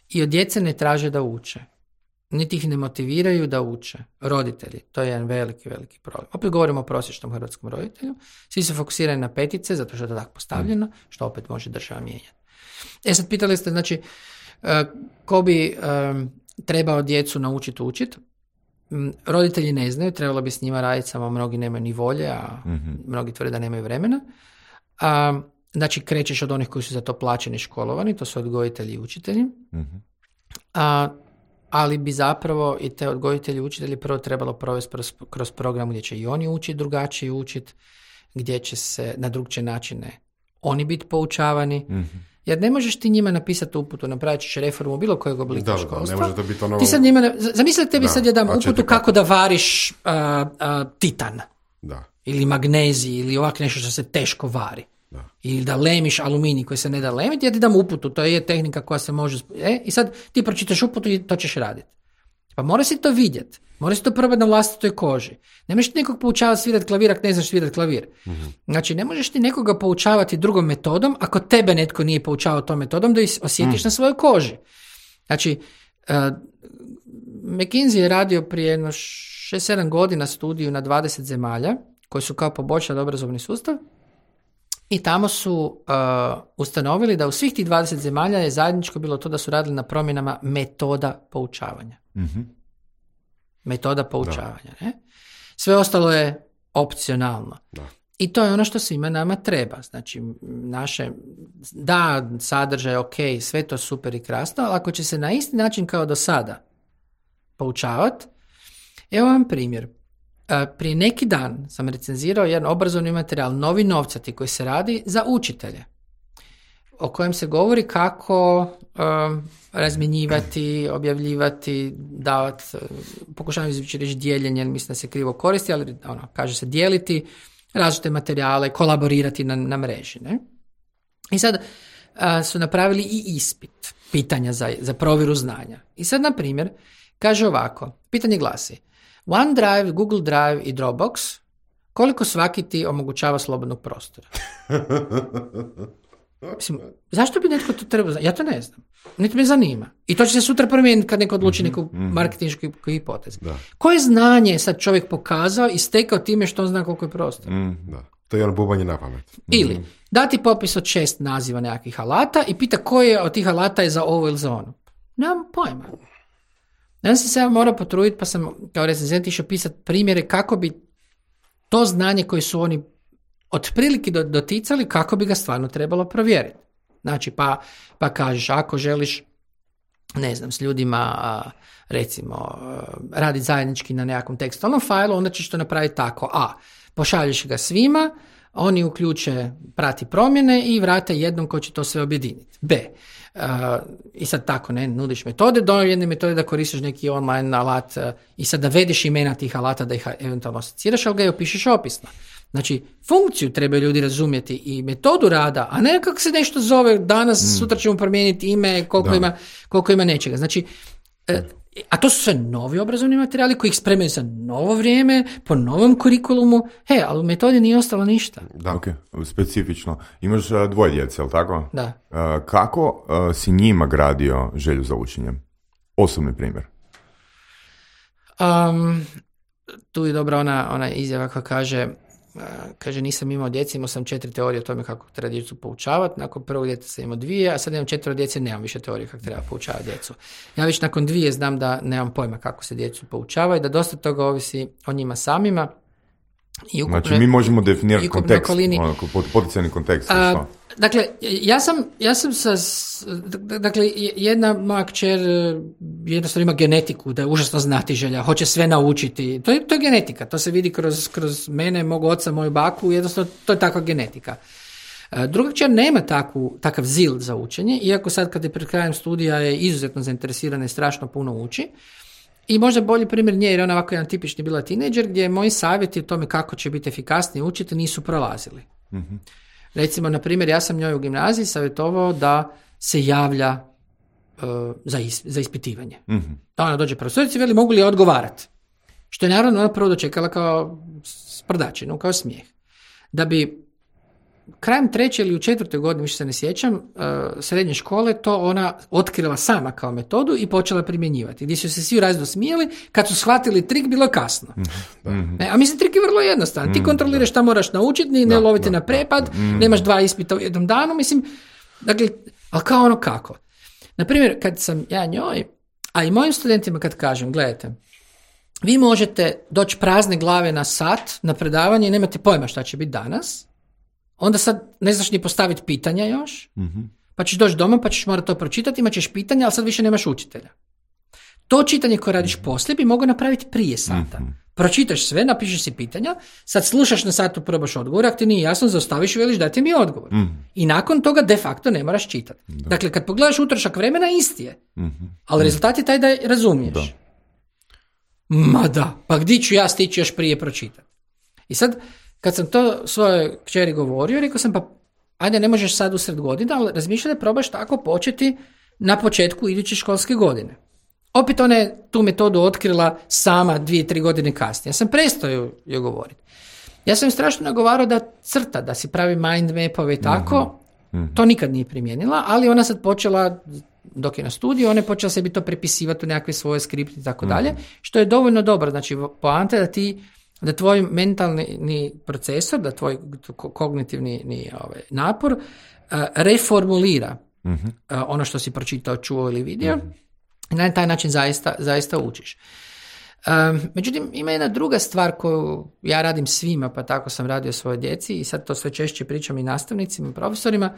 i od djece ne traže da uče. Niti ih ne motiviraju da uče. Roditelji, to je jedan veliki, veliki problem. Opet govorimo o prosječnom hrvatskom roditelju. Svi se fokusiraju na petice, zato što je to tako postavljeno, što opet može država mijenjati. Sad pitali ste, znači, ko bi trebao djecu naučiti učiti? Roditelji ne znaju, trebalo bi s njima raditi, samo mnogi nemaju ni volje, a mnogi tvrde da nemaju vremena. Znači, krećeš od onih koji su za to plaćeni, školovani, to su odgojitelji i učitelji. Ali bi zapravo i te odgojitelji i učitelji prvo trebalo provesti kroz program gdje će i oni učiti drugačije učiti, gdje će se na drugčije načine oni biti poučavani. Jer ne možeš ti njima napisati uputu, napravit ćeš reformu bilo kojeg oblika školstva. Ne može to biti ono... Ti sad njima, zamisli tebi sad jedan uputu kako da variš titan. Da. Ili magnezij, ili ovak nešto što se teško vari. Da. Ili da lemiš aluminij koji se ne da lemiti, ja ti dam uputu, to je tehnika koja se može... I sad ti pročitaš uputu i to ćeš raditi. Pa mora si to vidjeti, mora si to probati na vlastitoj koži. Ne možeš nekog poučavati svirati klavir ako ne znaš svirati klavir. Znači, ne možeš ti nekoga poučavati drugom metodom ako tebe netko nije poučavao tom metodom da osjetiš na svojoj koži. Znači, McKinsey je radio prije 6-7 godina studiju na 20 zemalja koji su kao poboljšali obrazovni sustav. I tamo su ustanovili da u svih tih 20 zemalja je zajedničko bilo to da su radili na promjenama metoda poučavanja. Metoda poučavanja. Ne? Sve ostalo je opcionalno. Da. I to je ono što svima nama treba. Znači, sadržaj, ok, sve to super i krasno, ali ako će se na isti način kao do sada poučavati, evo vam primjer. Prije neki dan sam recenzirao jedan obrazovni materijal, Novi novcati, koji se radi za učitelje, o kojem se govori kako razmjenjivati, objavljivati, davati, pokušavam izvući reći dijeljenje, mislim da se krivo koristi, ali kaže se dijeliti različite materijale, kolaborirati na mreži. Ne? I sad su napravili i ispit, pitanja za provjeru znanja. I sad, na primjer, kaže ovako, pitanje glasi: OneDrive, Google Drive i Dropbox, koliko svaki ti omogućava slobodnog prostora? Mislim, zašto bi netko to trebao znati? Ja to ne znam. Niti me zanima. I to će se sutra promijeniti kad neko odluči neku marketinšku hipotezu. Koje znanje je sad čovjek pokazao i stekao time što on zna koliko je prostor? Da. To je ono bubanje na pamet. Ili dati popis od 6 naziva nekakvih alata i pita koje od tih alata je za ovo ili za ono. Nemam pojma. Ja sam se morao potruditi, pa sam kao recenzent išao pisati primjere kako bi to znanje koje su oni otprilike doticali, kako bi ga stvarno trebalo provjeriti. Znači, pa kažeš, ako želiš, ne znam, s ljudima, recimo, raditi zajednički na nekakvom tekstualnom failu, onda ćeš to napraviti tako: a, pošalješ ga svima, oni uključe prati promjene i vrate jednom ko će to sve objediniti. B, i sad tako, ne, nudiš metode, do jedne metode da koristiš neki online alat i sad da vediš imena tih alata, da ih eventualno asociraš, ali ga i opišeš opisno. Znači, funkciju trebaju ljudi razumjeti i metodu rada, a ne kako se nešto zove danas, sutra ćemo promijeniti ime, koliko ima nečega. Znači, a to su sve novi obrazovni materijali koji ih spremaju za novo vrijeme, po novom kurikulumu, ali u metodi nije ostalo ništa. Da, ok, specifično. Imaš dvoje djece, jel tako? Da. Kako si njima gradio želju za učenjem? Osobni primjer. Tu je dobra ona izjava koja kaže nisam imao djece, imao sam 4 teorije o tome kako treba djecu poučavati, nakon prvog djeta sam imao 2, a sad imam 4 djece, nemam više teorije kako treba poučavati djecu. Ja već nakon 2 znam da nemam pojma kako se djecu poučava i da dosta toga ovisi o njima samima. I ukupne, znači mi možemo definirati kontekst, poticajni kontekst. Dakle, ja sam jedna moja kćer jednostavno ima genetiku, da je užasno znatiželja, hoće sve naučiti. To je genetika, to se vidi kroz mene, mog oca, moju baku, jednostavno to je takva genetika. Druga kćer nema takav zil za učenje, iako sad kad je pred krajem studija je izuzetno zainteresirana i strašno puno uči. I možda bolji primjer nje, jer ona ovako jedan tipični bila tinejdžer, gdje moji savjeti o tome kako će biti efikasniji učiti nisu prolazili. Mm-hmm. Recimo, na primjer, ja sam njoj u gimnaziji savjetovao da se javlja za ispitivanje. Mm-hmm. Da ona dođe profesorici i veli mogu li odgovarati. Što je naravno ona prvo dočekala kao sprdačinu, kao smijeh. Da bi krajem 3. ili u 4. godini, više se ne sjećam, srednje škole, to ona otkrila sama kao metodu i počela primjenjivati. Gdje su se svi razno smijeli, kad su shvatili trik, bilo je kasno. Mm-hmm. A mislim, trik je vrlo jednostavan. Ti kontroliraš šta moraš naučiti, ne loviti na prepad, nemaš 2 ispita u jednom danu, mislim, dakle, ali kao ono kako. Naprimjer, kad sam ja njoj, a i mojim studentima kad kažem, gledajte, vi možete doći prazne glave na sat, na predavanje i nemate pojma šta će biti danas, onda sad ne znaš ni postaviti pitanja još, pa ćeš doći doma, pa ćeš morati to pročitati, imat ćeš pitanja, ali sad više nemaš učitelja. To čitanje koje radiš poslije bi mogao napraviti prije sata. Pročitaš sve, napišeš si pitanja, sad slušaš na satu, probaš odgovor, ako ti nije jasno, zaustaviš i veliš dajte mi odgovor. I nakon toga de facto ne moraš čitati. Dakle, kad pogledaš utrošak vremena, isti je. Ali rezultat je taj da je razumiješ. Ma da, pa gdje ću ja stići još prije pročitati? I sad, kad sam to svojoj kćeri govorio, rekao sam pa ajde ne možeš sad usred godine, ali razmišljaj da probaš tako početi na početku iduće školske godine. Opet ona je tu metodu otkrila sama 2-3 godine kasnije. Ja sam prestao joj govoriti. Ja sam strašno nagovarao da crta, da si pravi mind mapove i tako. To nikad nije primijenila, ali ona sad počela, dok je na studiju, ona je počela sebi to prepisivati u nekakve svoje skripte i tako dalje, što je dovoljno dobro. Znači, poanta je da tvoj mentalni procesor, da tvoj kognitivni napor reformulira ono što si pročitao, čuo ili vidio i na taj način zaista učiš. Međutim, ima jedna druga stvar koju ja radim svima, pa tako sam radio svojoj djeci i sad to sve češće pričam i nastavnicima i profesorima,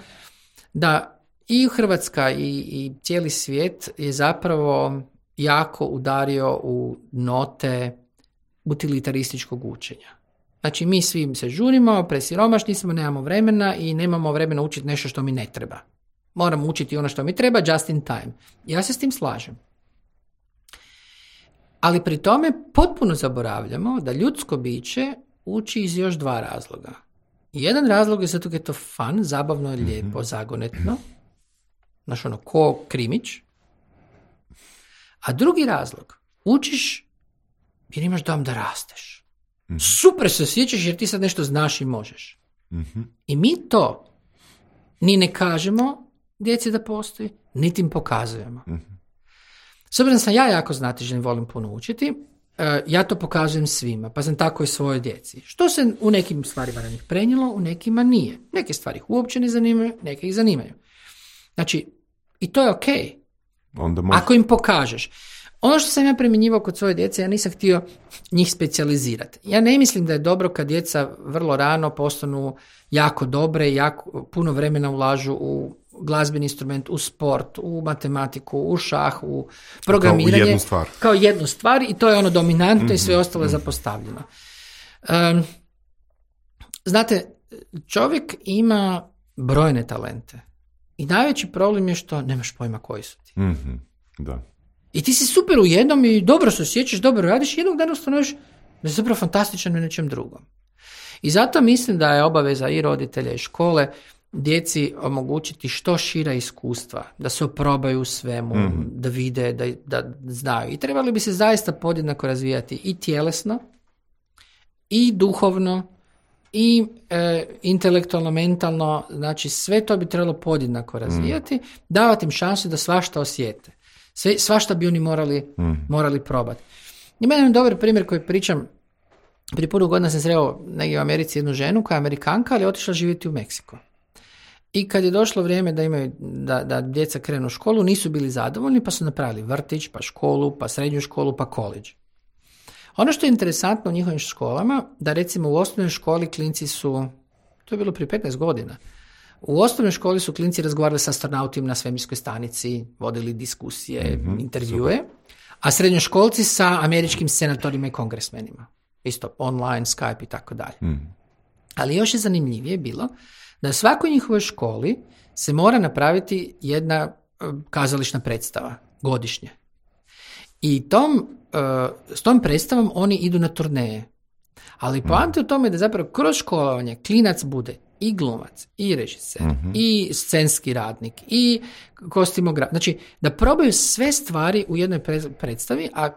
da i Hrvatska i cijeli svijet je zapravo jako udario u note utilitarističkog učenja. Znači, mi svi se žurimo, presiromašni smo, nemamo vremena i nemamo vremena učiti nešto što mi ne treba. Moramo učiti ono što mi treba, just in time. Ja se s tim slažem. Ali pri tome potpuno zaboravljamo da ljudsko biće uči iz još 2 razloga. Jedan razlog je zato jer je to fun, zabavno, lijepo, zagonetno. Znaš ono, ko krimić. A drugi razlog, učiš jer imaš dom da rasteš. Super se osjećaš jer ti sad nešto znaš i možeš. I mi to ni ne kažemo djeci da postoji, niti im pokazujemo. S obzirom sam ja jako znatiželjan, volim puno učiti, ja to pokazujem svima, pa sam tako i svojoj djeci. Što se u nekim stvarima na njih prenijelo, u nekima nije. Neke stvari ih uopće ne zanimaju, neke ih zanimaju. Znači, i to je okej. Ako im pokažeš. Ono što sam ja primjenjivao kod svoje djece, ja nisam htio njih specijalizirati. Ja ne mislim da je dobro kad djeca vrlo rano postanu jako dobre i jako puno vremena ulažu u glazbeni instrument, u sport, u matematiku, u šah, u programiranje. Kao jednu stvar i to je ono dominantno i sve ostalo je zapostavljeno. Znate, čovjek ima brojne talente i najveći problem je što nemaš pojma koji su ti. Da. I ti si super u jednom i dobro se osjećaš, dobro radiš i jednog dana ustanoviš da je zapravo fantastičan u nečem drugom. I zato mislim da je obaveza i roditelja i škole djeci omogućiti što šira iskustva, da se oprobaju u svemu, da vide, da znaju. I trebali bi se zaista podjednako razvijati i tjelesno, i duhovno, i intelektualno, mentalno, znači sve to bi trebalo podjednako razvijati, davati im šansu da svašta osjete. Svašta bi oni morali probati. Ima jedan dobar primjer koji pričam. Prije puno godina sam sreo negdje u Americi jednu ženu koja je Amerikanka, ali je otišla živjeti u Meksiko. I kad je došlo vrijeme da djeca krenu u školu, nisu bili zadovoljni, pa su napravili vrtić, pa školu, pa srednju školu, pa koledž. Ono što je interesantno u njihovim školama, da recimo u osnovnoj školi klinci su, to je bilo prije 15 godina, u osnovnoj školi su klinci razgovarali sa astronautima na svemirskoj stanici, vodili diskusije, intervjue, a srednjoškolci sa američkim senatorima i kongresmenima. Isto online, Skype i tako dalje. Ali još je zanimljivije bilo da u svakoj njihovoj školi se mora napraviti jedna kazališna predstava godišnje. I s tom predstavom oni idu na turneje. Ali poanta je u tome da zapravo kroz školovanje klinac bude i glumac, i režiser, i scenski radnik, i kostimograf. Znači, da probaju sve stvari u jednoj predstavi, a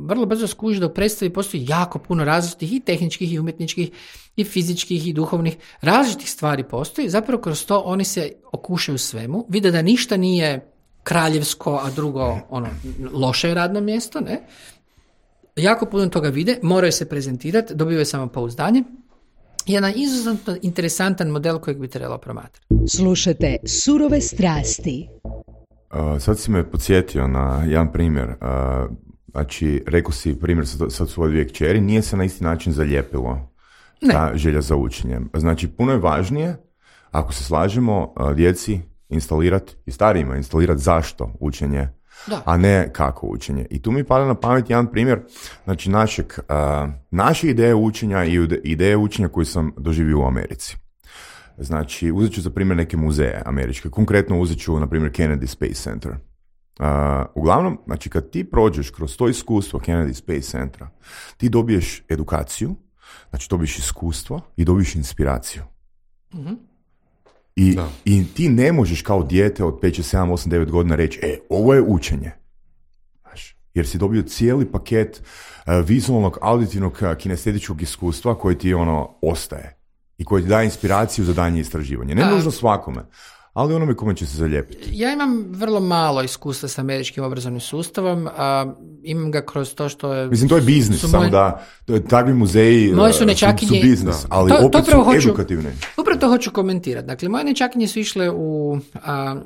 vrlo brzo skuži da u predstavi postoji jako puno različitih i tehničkih, i umjetničkih, i fizičkih, i duhovnih. Različitih stvari postoji. Zapravo kroz to oni se okušaju svemu, vide da ništa nije kraljevsko, a drugo loše radno mjesto, ne? Jako puno toga vide, moraju se prezentirati, dobivaju samopouzdanje. Jedan izuzetno interesantan model kojeg bi trebalo promatrati. Slušajte Surove strasti. Sad si me podsjetio na jedan primjer. Znači, rekao si primjer sa svoje dvije kćeri, nije se na isti način zalijepilo ta želja za učenjem. Znači, puno je važnije, ako se slažemo, djeci instalirati i starijima instalirati zašto učenje, a ne kako učenje. I tu mi pada na pamet jedan primjer, znači naše ideje učenja i ideje učenja koje sam doživio u Americi. Znači, uzet ću za primjer neke muzeje američke. Konkretno uzet ću, na primjer, Kennedy Space Center. Uglavnom, znači, kad ti prođeš kroz to iskustvo Kennedy Space Centra, ti dobiješ edukaciju, znači dobiješ iskustvo i dobiješ inspiraciju. I ti ne možeš kao dijete od 5, 7, 8, 9 godina reći, ovo je učenje. Znaš, jer si dobio cijeli paket vizualnog, auditivnog, kinestetičkog iskustva koji ti ostaje i koji ti daje inspiraciju za daljnje istraživanje. Ne nužno svakome, ali onome kome će se zalijepiti. Ja imam vrlo malo iskustva s američkim obrazovnim sustavom, imam ga kroz to što je... Mislim, to je biznis, samo da takvi muzeji su biznis, ali opet su edukativni. Upravo to hoću komentirati. Dakle, moje nečakinje su išle u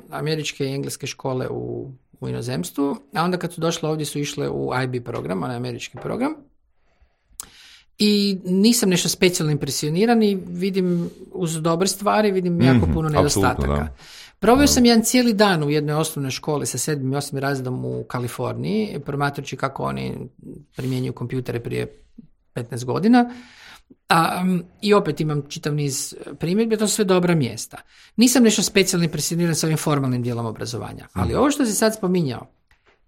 američke i engleske škole u inozemstvu, a onda kad su došle ovdje su išle u IB program, onaj američki program. I nisam nešto specijalno impresioniran i vidim uz dobre stvari, vidim jako puno nedostataka. Proveo sam jedan cijeli dan u jednoj osnovnoj školi sa 7. i 8. razredom u Kaliforniji, promatrajući kako oni primjenjuju kompjutere prije 15 godina. I opet imam čitav niz primjedbi, to su sve dobra mjesta. Nisam nešto specijalno impresioniran sa ovim formalnim dijelom obrazovanja, ali ovo što si sad spominjao,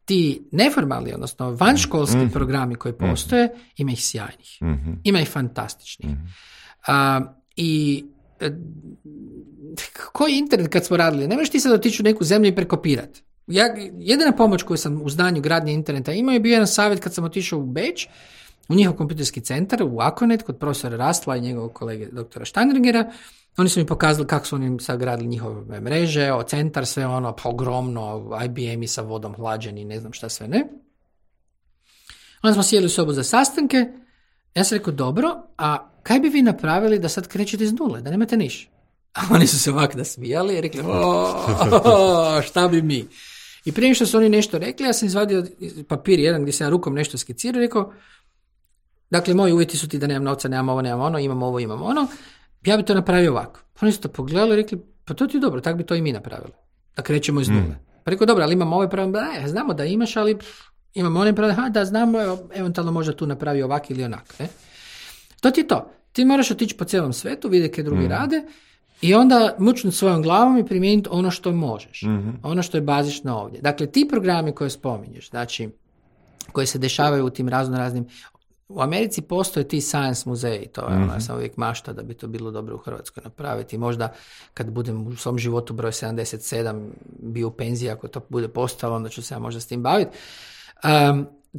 ti neformalni, odnosno vanškolski programi koji postoje, ima ih sjajnih. Ima ih fantastičnih. Koji internet kad smo radili? Ne možeš ti sad otići u neku zemlju i prekopirati. Jedina pomoć koju sam u znanju gradnje interneta imao je bio jedan savjet kad sam otišao u Beč, u njihov kompjuterski centar, u Akonet, kod profesora Rastla i njegovog kolege doktora Steinringera. Oni su mi pokazali kako su oni sad gradili njihove mreže, centar, sve ogromno, IBM-i sa vodom hlađeni, ne znam šta sve ne. Onda smo sjeli u sobu za sastanke, ja sam rekao, dobro, a kaj bi vi napravili da sad krećete iz nule, da nemate niš? A oni su se ovako nasmijali i rekli, šta bi mi? I prije što su oni nešto rekli, ja sam izvadio papir jedan gdje sam ja rukom nešto skicirao i rekao, dakle, moji uvjeti su ti da nemam novca, nemam ono, imam ovo, imam ono, ja bi to napravio ovako. Oni su to pogledali i rekli, pa to ti je dobro, tako bi to i mi napravili. Da krećemo iz nule. Pa rekao, dobro, ali imamo ovaj problem, znamo da imaš, ali imamo onaj problem, da znamo, eventualno možda tu napravi ovak ili onak. Ne? To ti je to. Ti moraš otići po cijelom svetu, vidjeti kaj drugi rade i onda mučnuti svojom glavom i primijeniti ono što možeš. Ono što je bazično ovdje. Dakle, ti programi koje spominješ, znači, koji se dešavaju u tim raznoraznim u Americi postoje ti science muzeji, to je ja sam uvijek mašta da bi to bilo dobro u Hrvatskoj napraviti. Možda kad budem u svom životu broj 77 bio u penziji, ako to bude postalo, onda ću se ja možda s tim baviti.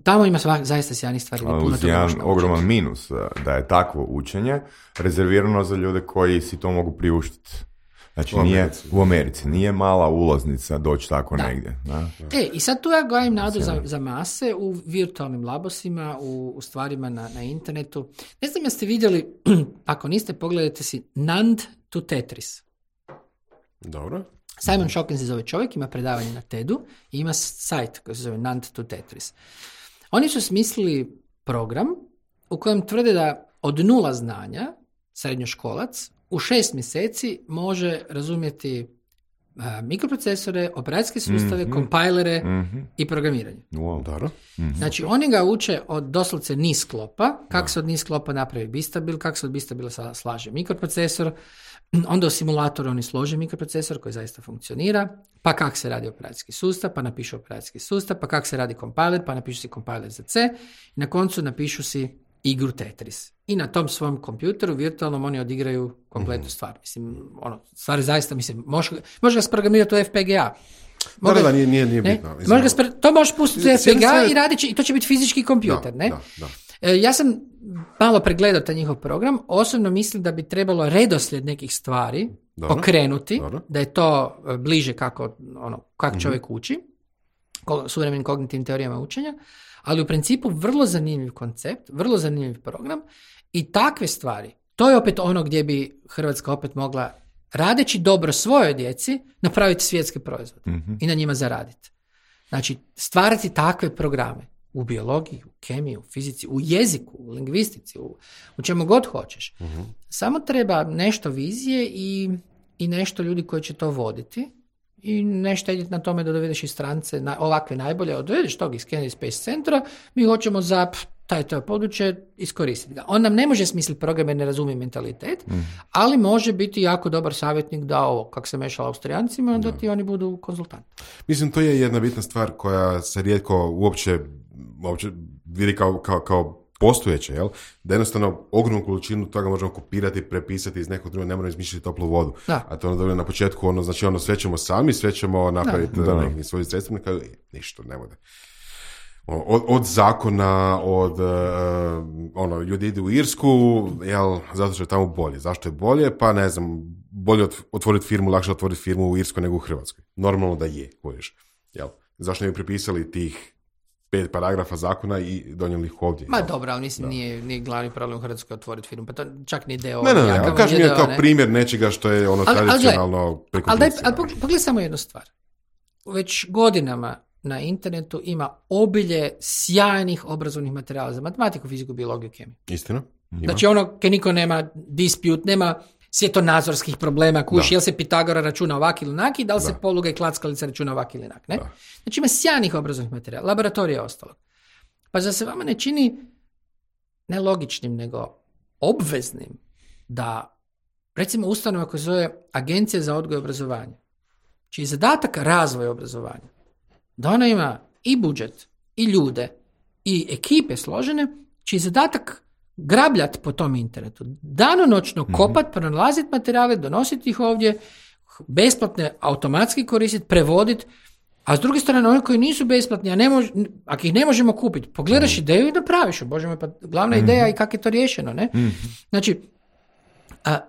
Tamo ima zaista sjajnih stvari. Ali uz jedan ogroman minus da je takvo učenje rezervirano za ljude koji si to mogu priuštiti. Znači u Americi nije mala ulaznica doći tako negdje. Da? I sad tu ja gajim nadu za mase u virtualnim labosima, u stvarima na internetu. Ne znam jeste vidjeli, ako niste, pogledajte si Nand to Tetris. Dobro. Simon Shokin se zove čovjek, ima predavanje na TED-u i ima sajt koji se zove Nand to Tetris. Oni su smislili program u kojem tvrde da od 0 znanja srednjoškolac u 6 mjeseci može razumjeti mikroprocesore, operacijske sustave, kompajlere i programiranje. Dobro. Znači, oni ga uče od doslovce niz sklopa, kako se od niz sklopa napravi bistabil, kako se od bistabila slaže mikroprocesor, onda u simulatoru oni slože mikroprocesor koji zaista funkcionira, pa kako se radi operacijski sustav, pa napišu operacijski sustav, pa kako se radi kompiler, pa napišu si kompiler za C i na koncu napišu si igru Tetris. I na tom svom kompjuteru virtualnom oni odigraju kompletnu stvar. Mislim, stvari zaista, može ga sprogramirati u FPGA. Da, nije bitno. To možeš pustiti u FPGA i radit će, i to će biti fizički kompjuter, ne? Da. Ja sam malo pregledao taj njihov program, osobno mislim da bi trebalo redoslijed nekih stvari okrenuti, da je to bliže kako čovjek uči, suvremenim kognitivnim teorijama učenja, ali u principu vrlo zanimljiv koncept, vrlo zanimljiv program i takve stvari, to je opet ono gdje bi Hrvatska opet mogla, radeći dobro svojoj djeci, napraviti svjetski proizvod i na njima zaraditi. Znači, stvarati takve programe u biologiji, u kemiji, u fizici, u jeziku, u lingvistici, u čemu god hoćeš. Samo treba nešto vizije i nešto ljudi koji će to voditi i ne štedjeti na tome da dovedeš iz strance ovakve najbolje, dovedeš tog iz Kennedy Space Centra, mi hoćemo za to područje iskoristiti ga. On nam ne može smisliti program jer ne razumije mentalitet, ali može biti jako dobar savjetnik da ovo, kako se mešala Austrijancima, da ti oni budu konzultanti. Mislim, to je jedna bitna stvar koja se rijetko uopće vidi kao postojeće, jel? Da jednostavno ogromnu količinu toga možemo kopirati, prepisati iz nekog drugog, ne moramo izmišljati toplu vodu. Da. A to ono dobro na početku, znači sve ćemo sami, sve ćemo napraviti neki svoj sredstvo, nekako ništa ne bude. Od zakona, ljudi idu u Irsku, jel, zato što je tamo bolje. Zašto je bolje? Pa ne znam, bolje otvoriti firmu, lakše otvoriti firmu u Irskoj nego u Hrvatskoj. Normalno da je, kojiš. Jel? Zašto ne bi prepisali tih 5 paragrafa zakona i donijeli ih ovdje. Ma dobro, ali mislim nije glavni problem u Hrvatskoj otvoriti firmu, pa to čak ni deo. Ne, ali kaži mi kao primjer nečega što je tradicionalno prekopljivstvo. Ali pogledaj samo jednu stvar. Već godinama na internetu ima obilje sjajnih obrazovnih materijala za matematiku, fiziku, biologiju, kemiju. Istina. Ima. Znači niko nema dispute, nema svjetonazorskih problema, jel se Pitagora računa ovak ili onak i da li se poluga i klackalica računa ovak ili onak. Ne? Znači ima sjajnih obrazovnih materijala, laboratorija je ostalo. Pa zar se vama ne čini ne logičnim, nego obveznim da, recimo, ustanova koja se zove Agencija za odgoj i obrazovanje, čiji je zadatak razvoj obrazovanja, da ona ima i budžet, i ljude, i ekipe složene, čiji je zadatak grabljati po tom internetu, danonoćno kopat, pronalaziti materijale, donositi ih ovdje, besplatne automatski koristiti, prevoditi, a s druge strane oni koji nisu besplatni, ako ih ne možemo kupiti, pogledaš ideju i napraviš. Bože moj, pa glavna ideja i kako je to riješeno, ne? Znači,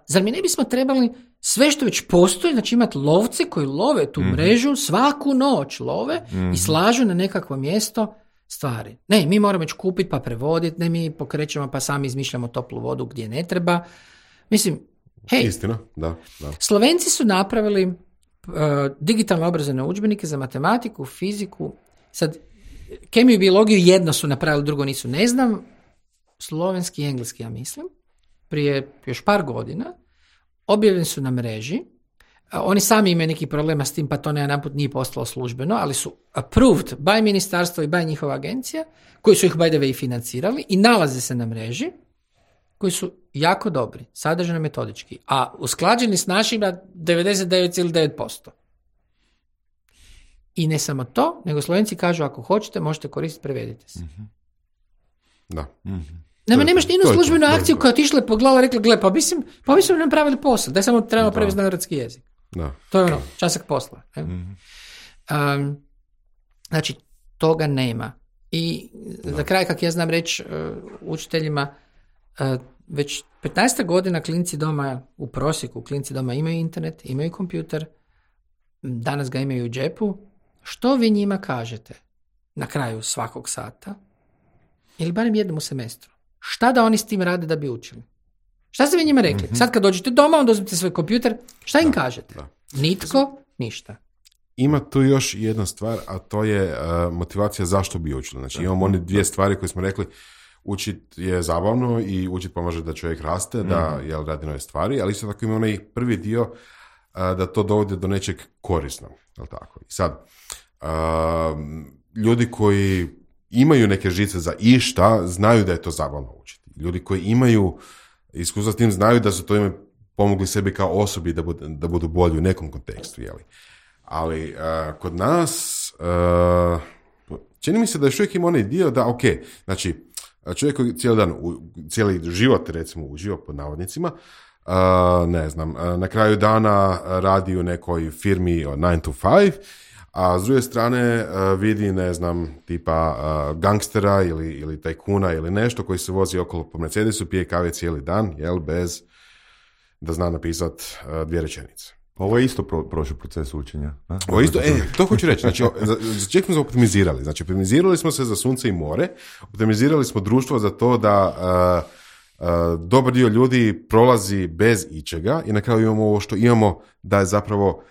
zar mi ne bismo trebali sve što već postoji, znači imati lovce koji love tu mrežu, svaku noć love i slažu na nekakvo mjesto stvari. Ne, mi moramo već kupiti pa prevoditi, ne, mi pokrećemo pa sami izmišljamo toplu vodu gdje ne treba. Mislim, hej, istina, da. Slovenci su napravili digitalno obrazovne udžbenike za matematiku, fiziku, sad kemiju i biologiju jedno su napravili, drugo nisu, ne znam, slovenski i engleski, ja mislim, prije još par godina, objavljeni su na mreži. Oni sami imaju neki problema s tim, pa to najedanput nije postalo službeno, ali su approved by ministarstvo i by njihova agencija, koji su ih by the way i financirali i nalaze se na mreži, koji su jako dobri, sadržajno metodički, a usklađeni s našima 99,9%. I ne samo to, nego Slovenci kažu ako hoćete, možete koristiti, prevedite se. Da. Nemaš ni jednu službenu akciju koja otišla i pogledala i rekla, gle, pa mi smo napravili posao, da samo trebamo prevesti na hrvatski jezik. Da. To je časak posla. Znači, toga nema. I za kraj, kako ja znam reći učiteljima, već 15 godina klinci doma, u prosjeku klinci doma imaju internet, imaju kompjuter, danas ga imaju u džepu. Što vi njima kažete na kraju svakog sata ili barem jednom u semestru? Šta da oni s tim rade da bi učili? Šta ste vi njima rekli? Sad kad dođete doma, onda uzmite svoj kompjuter, šta im kažete? Nitko, ništa. Ima tu još jedna stvar, a to je motivacija zašto bi učili. Znači imamo one dvije stvari koje smo rekli, učit je zabavno i učit pomaže da čovjek raste, da radi nove stvari, ali isto tako ima onaj prvi dio da to dovode do nečeg korisnog. Jel tako? I sad, ljudi koji imaju neke žice za išta, znaju da je to zabavno učiti. Ljudi koji imaju iskustva s tim, znaju da su to ime pomogli sebi kao osobi da budu bolji u nekom kontekstu. Jeli? Ali kod nas čini mi se da još uvijek ima onaj dio da, znači čovjek koji cijeli život recimo uživa pod navodnicima, ne znam, na kraju dana radi u nekoj firmi od 9 to 5, a s druge strane vidi, ne znam, tipa gangstera ili tajkuna ili nešto koji se vozi okolo po Mercedesu, pije kave cijeli dan, bez da zna napisat 2 rečenice. Ovo je isto prošao proces učenja. Ovo isto, to hoću reći. Znači, za čeg smo se optimizirali? Znači, optimizirali smo se za sunce i more, optimizirali smo društvo za to da dobar dio ljudi prolazi bez ičega i na kraju imamo ovo što imamo, da je zapravo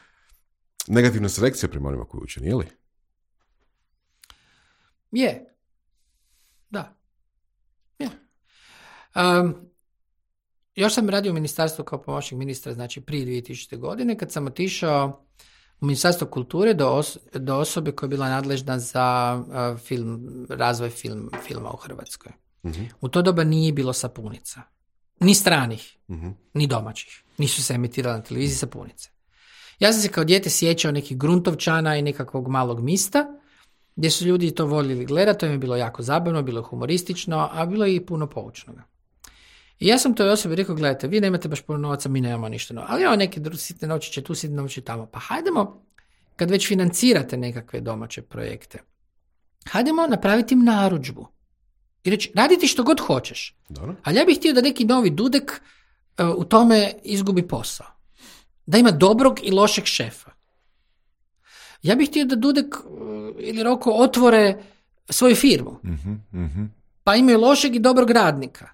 negativna selekcija prema onima koji uče, nije li? Je. Da. Je. Još sam radio u ministarstvu kao pomoćnik ministra, znači prije 2000. godine, kad sam otišao u Ministarstvo kulture do osobe koja je bila nadležna za razvoj filma u Hrvatskoj. Uh-huh. U to doba nije bilo sapunica. Ni stranih, ni domaćih. Nisu se emitirali na televiziji sapunice. Ja sam se kao dijete sjećao nekih Gruntovčana i nekakvog malog mista, gdje su ljudi to voljeli gledati, to im je bilo jako zabavno, bilo humoristično, a bilo je i puno poučnoga. I ja sam toj osobi rekao, gledajte, vi nemate baš puno novaca, mi nemamo ništa. Ali evo neke sitne novčiće tu, sitne novčiće tamo. Pa hajdemo, kad već financirate nekakve domaće projekte, hajdemo napraviti im narudžbu. I reći, raditi što god hoćeš. Dobro. Ali ja bih htio da neki novi Dudek u tome izgubi posao. Da ima dobrog i lošeg šefa. Ja bih htio da Dudek ili Roko otvore svoju firmu. Pa imaju lošeg i dobrog radnika.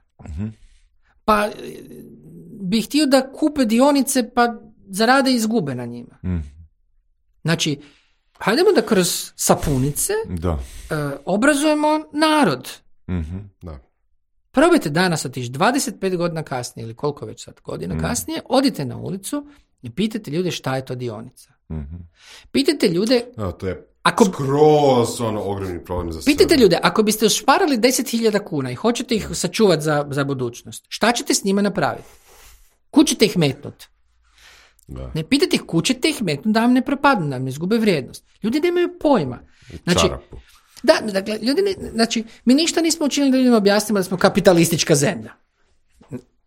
Pa bih htio da kupe dionice pa zarade i izgube na njima. Znači, hajdemo da kroz sapunice obrazujemo narod. Da. Probajte danas otići 25 godina kasnije ili koliko već sad godina kasnije, odite na ulicu i pitajte ljude šta je to dionica. Pitajte ljude... to je skroz ogromni problem za sve. Pitajte ljude, ako biste ušparali 10.000 kuna i hoćete ih sačuvati za budućnost, šta ćete s njima napraviti? Kud ćete ih metnuti? Da. Ne pitajte ih kud ćete ih metnuti da vam ne propadnu, da vam ne izgube vrijednost. Ljudi nemaju pojma. Znači, dakle, znači, mi ništa nismo učinili da ljudima objasnimo da smo kapitalistička zemlja.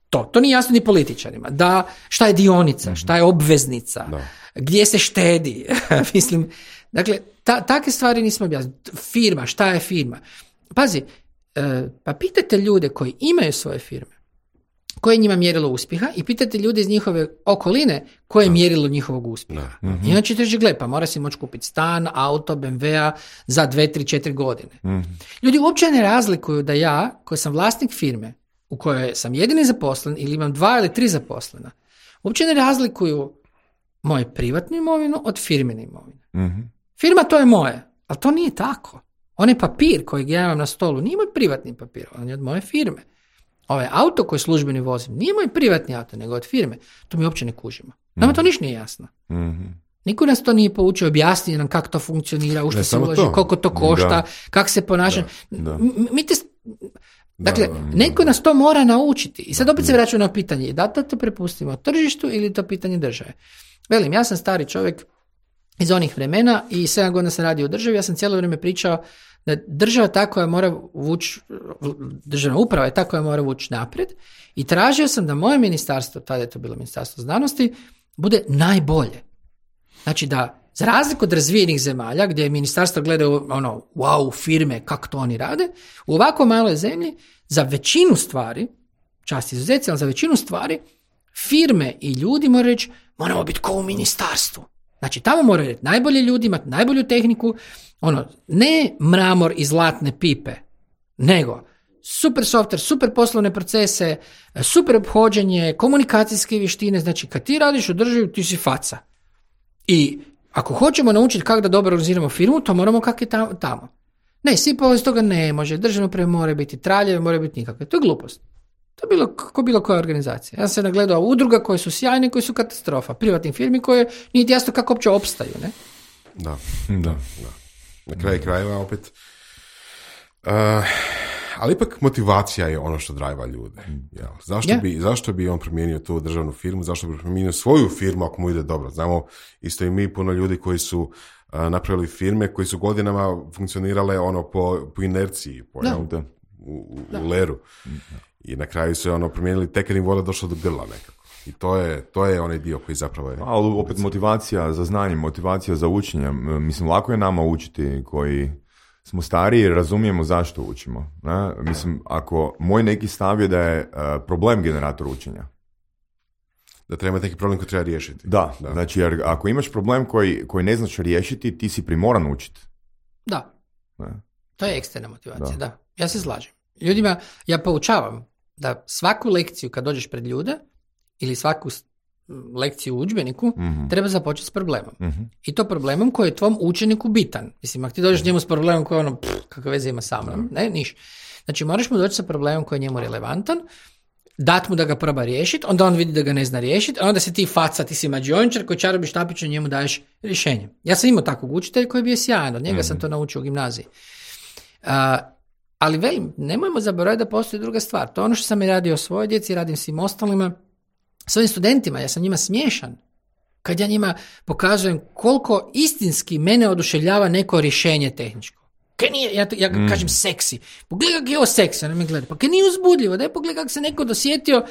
To nije jasno ni političarima. Da, šta je dionica, šta je obveznica, gdje se štedi. Mislim, dakle, takve stvari nismo objasnili. Firma, šta je firma? Pazi, pa pitajte ljude koji imaju svoje firme, koje je njima mjerilo uspjeha i pitajte ljude iz njihove okoline koje je mjerilo njihovog uspjeha. Inače ćeš gle, pa mora si moći kupiti stan, auto, BMW-a za 2, 3, 4 godine. Ljudi uopće ne razlikuju da ja, koji sam vlasnik firme, u kojoj sam jedini zaposlen ili imam 2 ili 3 zaposlena, uopće ne razlikuju moju privatnu imovinu od firmine imovine. Firma to je moje, ali to nije tako. Onaj papir kojeg ja imam na stolu nije moj privatni papir, on je od moje firme. Ovaj auto koji službeni vozim nije moj privatni auto, nego od firme. To mi uopće ne kužimo. Nama to ništa nije jasno. Niko nas to nije poučio, objasnio nam kako to funkcionira, u što se ulaže, koliko to košta, kako se ponaša. Dakle, neko nas to mora naučiti. I sad opet se vraćamo na pitanje, da to prepustimo tržištu ili to pitanje države. Velim, ja sam stari čovjek, iz onih vremena i 7 godina sam radio u državi, ja sam cijelo vrijeme pričao da država ta koja mora vući, državna uprava je ta koja mora vući naprijed i tražio sam da moje ministarstvo, tada je to bilo ministarstvo znanosti, bude najbolje. Znači da, za razliku od razvijenih zemalja, gdje ministarstvo gledaju wow, firme, kako to oni rade, u ovako maloj zemlji, za većinu stvari, čast izuzeci, ali za većinu stvari, firme i ljudi moraju reći, moramo biti kao u ministarstvu. Znači, tamo moraju reći najbolji ljudi, imati najbolju tehniku, ne mramor i zlatne pipe, nego super software, super poslovne procese, super ophođenje, komunikacijske vještine, znači kad ti radiš u državi, ti si faca. I ako hoćemo naučiti kako da dobro organiziramo firmu, to moramo kako je tamo. Ne, svi iz toga ne može, državno uprave mora biti traljeve, mora biti nikakve. To je glupost. To je bilo koja organizacija. Ja sam se nagledao udruga koje su sjajne, koje su katastrofa. Privatnim firmi koje nije jasno kako uopće opstaju, ne? Da. Na kraju krajeva opet. Ali ipak motivacija je ono što drajva ljude. Zašto bi on promijenio tu državnu firmu? Zašto bi promijenio svoju firmu ako mu ide dobro? Znamo isto i mi puno ljudi koji su napravili firme koji su godinama funkcionirale po inerciji, u leru. I na kraju su promijenili tek kad im voda došla do grla nekako. I to je onaj dio koji zapravo je... Ali opet motivacija za znanje, motivacija za učenje. Mislim, lako je nama učiti koji smo stariji jer razumijemo zašto učimo. Ne? Mislim, ako moj neki stav je da je problem generator učenja. Da treba neki problem koji treba riješiti. Da. Znači jer ako imaš problem koji ne znaš riješiti, ti si primoran učiti. Da. Ne? To je eksterna motivacija, da. Ja se slažem. Ljudima, ja poučavam da svaku lekciju kad dođeš pred ljude ili svaku lekciju u udžbeniku treba započeti s problemom. I to problemom koji je tvom učeniku bitan. Mislim, ako ti dođeš njemu s problemom koji je kakve veze ima sa mnom, ne, niš. Znači, moraš mu doći sa problemom koji je njemu relevantan, dat mu da ga proba riješiti, onda on vidi da ga ne zna riješiti, a onda se ti faca, ti si mađiončar koji čarobi štapić, njemu daješ rješenje. Ja sam imao takvog učitelja koji je bio sjajan, od njega sam to naučio u gimnaziji. Ali velim, nemojmo zaboraviti da postoji druga stvar. To je ono što sam i radio svojoj djeci, radim svim ostalima, svojim studentima, ja sam njima smiješan. Kad ja njima pokazujem koliko istinski mene oduševljava neko rješenje tehničko. Ja kažem seksi. Pogledaj kako je ovo seksi, ona me gleda. Pa kaj nije uzbudljivo, daj pogledaj kako se neko dosjetio,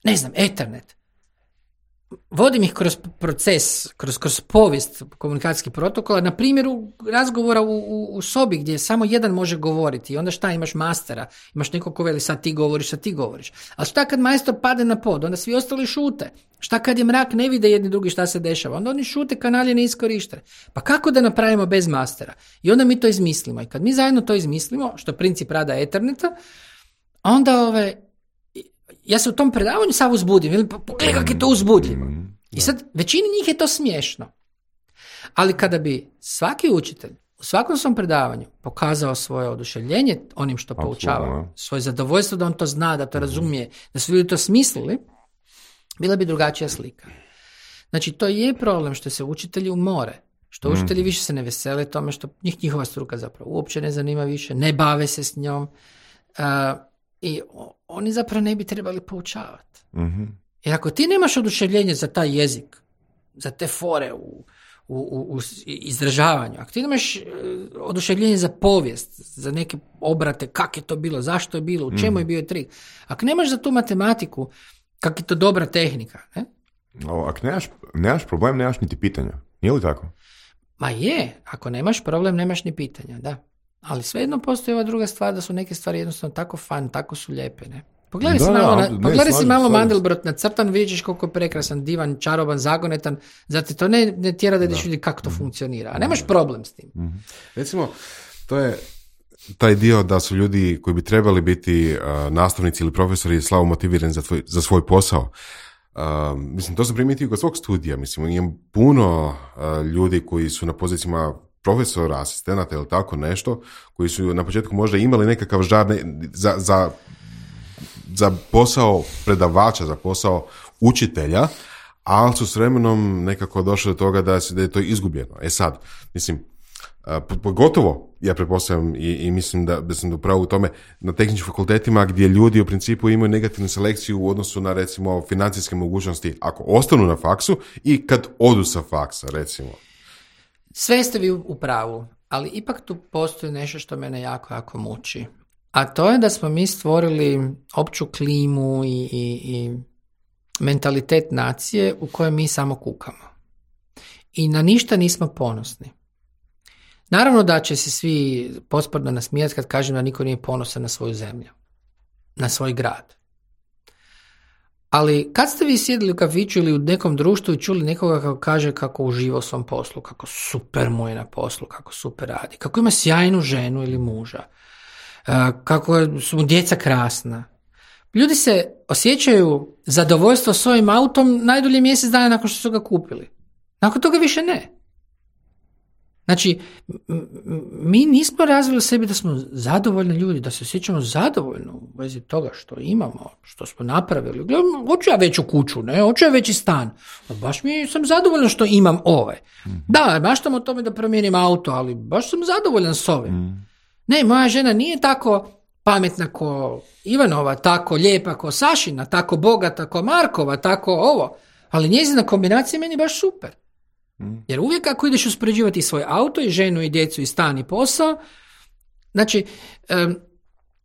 ne znam, Ethernet. Vodim ih kroz proces, kroz povijest komunikacijskih protokola, na primjeru razgovora u sobi gdje samo jedan može govoriti i onda šta, imaš mastera, imaš nekog ko veli sad ti govoriš. Ali šta kad majstor pade na pod, onda svi ostali šute. Šta kad je mrak, ne vide jedni drugi šta se dešava, onda oni šute, kanali ne iskorište. Pa kako da napravimo bez mastera? I onda mi to izmislimo. I kad mi zajedno to izmislimo, što je princip rada Etherneta, onda ja se u tom predavanju sav uzbudim. Pogledaj kako je to uzbudljivo. I sad, većini njih je to smiješno. Ali kada bi svaki učitelj u svakom svom predavanju pokazao svoje oduševljenje onim što poučava, svoje zadovoljstvo da on to zna, da to razumije, da su ljudi to smislili, bila bi drugačija slika. Znači, to je problem što se učitelji umore. Što učitelji više se ne vesele tome, što njihova struka zapravo uopće ne zanima više, ne bave se s njom. I oni zapravo ne bi trebali poučavati. Jer ako ti nemaš oduševljenje za taj jezik, za te fore u izražavanju, ako ti nemaš oduševljenje za povijest, za neke obrate, kako je to bilo, zašto je bilo, u čemu je bio trik, ako nemaš za tu matematiku, kako je to dobra tehnika, ne? Ako nemaš problem, nemaš niti pitanja. Nije li tako? Ma je, ako nemaš problem, nemaš ni pitanja, da. Ali svejedno postoji ova druga stvar, da su neke stvari jednostavno tako tako su lijepe, ne? Pogledaj si malo Mandelbrot nacrtan, vidiš koliko je prekrasan, divan, čaroban, zagonetan, zato to ne tjera da ideš vidjeti kako to funkcionira, a nemaš problem s tim. Recimo, to je taj dio da su ljudi koji bi trebali biti nastavnici ili profesori slabo motivirani za svoj posao. Mislim, to sam primijetio kod svog studija. Mislim, imam puno ljudi koji su na pozicijama profesora, asistenata ili tako nešto, koji su na početku možda imali nekakav žar za posao predavača, za posao učitelja, ali su s vremenom nekako došli do toga da je to izgubljeno. Sad, mislim, pogotovo, ja pretpostavljam i mislim da sam upravo u tome, na tehničkim fakultetima gdje ljudi u principu imaju negativnu selekciju u odnosu na, recimo, financijske mogućnosti ako ostanu na faksu i kad odu sa faksa, recimo. Sve ste vi u pravu, ali ipak tu postoji nešto što mene jako, jako muči. A to je da smo mi stvorili opću klimu i mentalitet nacije u kojoj mi samo kukamo. I na ništa nismo ponosni. Naravno da će se svi posprdno nasmijati kad kažem da niko nije ponosan na svoju zemlju, na svoj grad. Ali kad ste vi sjedili u kafiću ili u nekom društvu i čuli nekoga kako kaže kako uživa u svom poslu, kako super mu je na poslu, kako super radi, kako ima sjajnu ženu ili muža, kako su mu djeca krasna. Ljudi se osjećaju zadovoljstvo s ovim autom najdulje mjesec dana nakon što su ga kupili. Nakon toga više ne. Znači, mi nismo razvili sebi da smo zadovoljni ljudi, da se osjećamo zadovoljno u vezi toga što imamo, što smo napravili. Gledam, hoću ja veću kuću, ne, hoću ja veći stan. Baš mi sam zadovoljan što imam ove. Da, maštam o tome da promijenim auto, ali baš sam zadovoljan s ovim. Ne, moja žena nije tako pametna ko Ivanova, tako lijepa ko Sašina, tako bogata ko Markova, tako ovo. Ali njezina kombinacija je meni baš super. Jer uvijek ako ideš uspoređivati svoj auto i ženu i djecu i stan i posao, znači,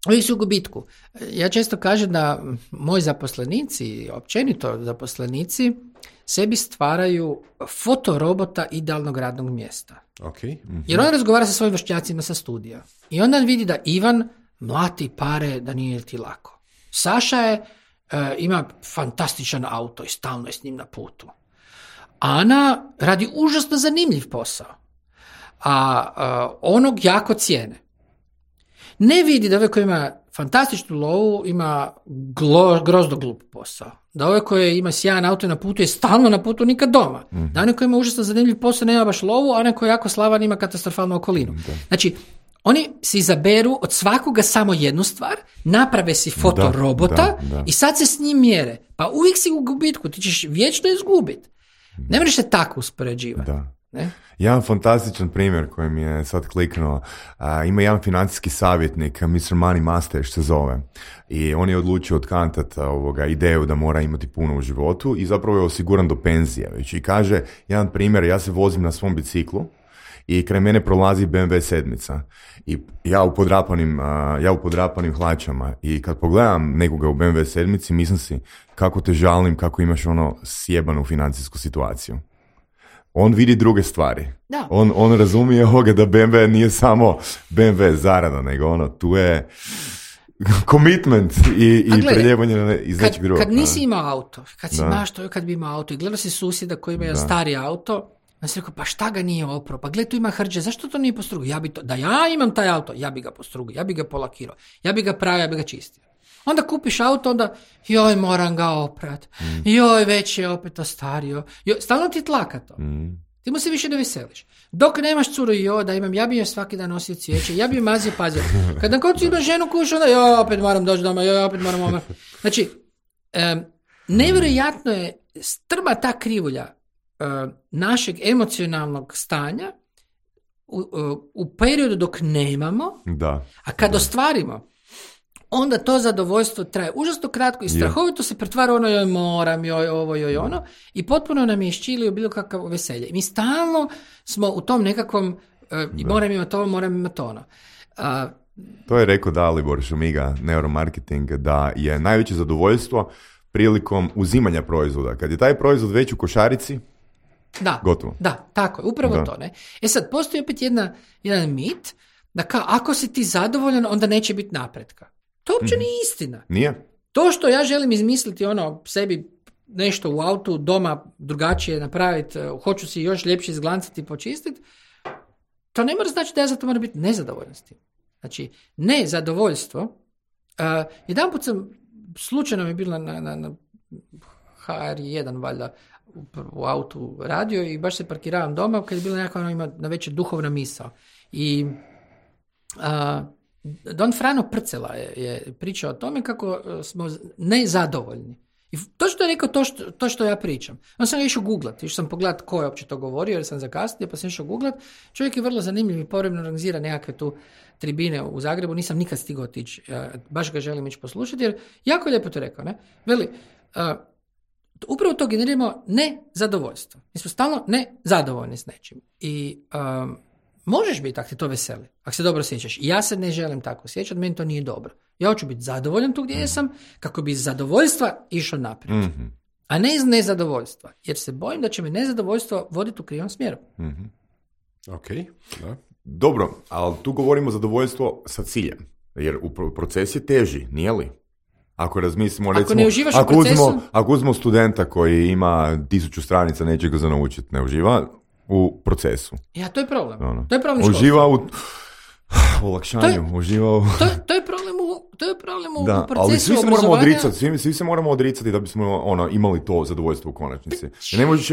uvijek su u gubitku. Ja često kažem da moji zaposlenici, općenito zaposlenici, sebi stvaraju fotorobota idealnog radnog mjesta. Okay. Jer on razgovara sa svojim vršnjacima sa studija. I onda vidi da Ivan mlati pare da nije ti lako. Saša ima fantastičan auto i stalno je s njim na putu. Ana radi užasno zanimljiv posao, a onog jako cijene. Ne vidi da ovaj koji ima fantastičnu lovu ima grozno glup posao. Da ovaj koji ima sjajan auto na putu je stalno na putu, nikad doma. Da onaj koji ima užasno zanimljiv posao nema baš lovu, a onaj koji je jako slavan ima katastrofalnu okolinu. Znači, oni si izaberu od svakoga samo jednu stvar, naprave si fotorobota i sad se s njim mjere. Pa uvijek si u gubitku, ti ćeš vječno izgubiti. Ne možeš se tako uspoređivati. Ne? Jedan fantastičan primjer koji mi je sad kliknuo. Ima jedan financijski savjetnik, Mr. Money Master se zove. I on je odlučio otkantati ideju da mora imati puno u životu i zapravo je osiguran do penzije. Već. I kaže, jedan primjer, ja se vozim na svom biciklu i kraj mene prolazi BMW 7 i ja u podrapanim hlačama i kad pogledam nekoga u BMW 7 mislim si kako te žalim, kako imaš sjebanu financijsku situaciju. On vidi druge stvari. Da. On razumije da BMW nije samo BMW zarada, nego tu je commitment i preljevanje iz nečeg drugog. Kad nisi imao auto, kad bi imao auto i gledao si susjeda koji ima stari auto, on si rekao, pa šta ga nije oprao? Pa gled, tu ima hrđe, zašto to nije postrugio? Da ja imam taj auto, ja bi ga postrugio, ja bi ga polakirao, ja bi ga pravio, ja bi ga čistio. Onda kupiš auto, onda, joj, moram ga oprat, joj, već je opet ostario, stalno ti tlaka to. Ti mu se više ne veseliš. Dok nemaš curu, da imam, ja bi joj svaki dan nosio cvijeće, ja bi joj mazio, pazio. Kad na koncu imaš ženu kuš, onda, opet moram doći doma, opet moram omar. Znači, nevjerojatno je strma ta krivulja našeg emocionalnog stanja u periodu dok nemamo, a kad ostvarimo, onda to zadovoljstvo traje užasno kratko i strahovito se pretvara joj moram, joj ovo, joj ono, i potpuno nam je iščilio bilo kakav veselje. Mi stalno smo u tom nekakvom moram imati ovo, moram imati ono. To je rekao Dalibor Šumiga, neuromarketing, da je najveće zadovoljstvo prilikom uzimanja proizvoda. Kad je taj proizvod već u košarici, gotovo. Da, tako je, upravo to. Ne? Sesad, postoji opet jedan mit da ako si ti zadovoljan, onda neće biti napretka. To uopće nije istina. Nije. To što ja želim izmisliti sebi nešto u autu, doma drugačije napraviti, hoću si još ljepše izglancati i počistiti, to ne mora znači da ja za to moram biti nezadovoljan s tim. Znači, nezadovoljstvo. Jedanput sam, slučajno mi je bila na HR1 valjda u autu radio i baš se parkiravam doma kad je bila nekakva ima na večer duhovna misao. I Don Frano Prcela je pričao o tome kako smo nezadovoljni. I to što je rekao, to što ja pričam. Onda sam išao googlati, išao sam pogledati ko je uopće to govorio, jer sam zakasnio, pa sam išao googlati. Čovjek je vrlo zanimljiv i povremeno organizira nekakve tu tribine u Zagrebu, nisam nikad stigao otići, baš ga želim ići poslušati, jer jako lijepo to rekao, ne? Veli, Upravo to generiramo nezadovoljstvo. Mi smo stalno nezadovoljni s nečim. I možeš biti ako te to veseli, ako se dobro sjećaš. Ja se ne želim tako osjećati, meni to nije dobro. Ja hoću biti zadovoljan tu gdje jesam, kako bi iz zadovoljstva išao naprijed. Mm-hmm. A ne iz nezadovoljstva. Jer se bojim da će me nezadovoljstvo voditi u krivom smjeru. Mm-hmm. Ok, da. Dobro, ali tu govorimo zadovoljstvo sa ciljem. Jer proces je teži, nije li? Ako razmislimo, recimo, ako ne uživaš u procesu... Ako uzmemo studenta koji ima 1000 stranica nečega za naučiti, ne uživa u procesu. Ja, to je problem. To je problem školstva. Uživa u olakšanju, uživa u... To je problem u da, procesu ali svi se obrazovanja. moramo odricati, svi se moramo odricati da bismo imali to zadovoljstvo u konačnici. Ne možeš,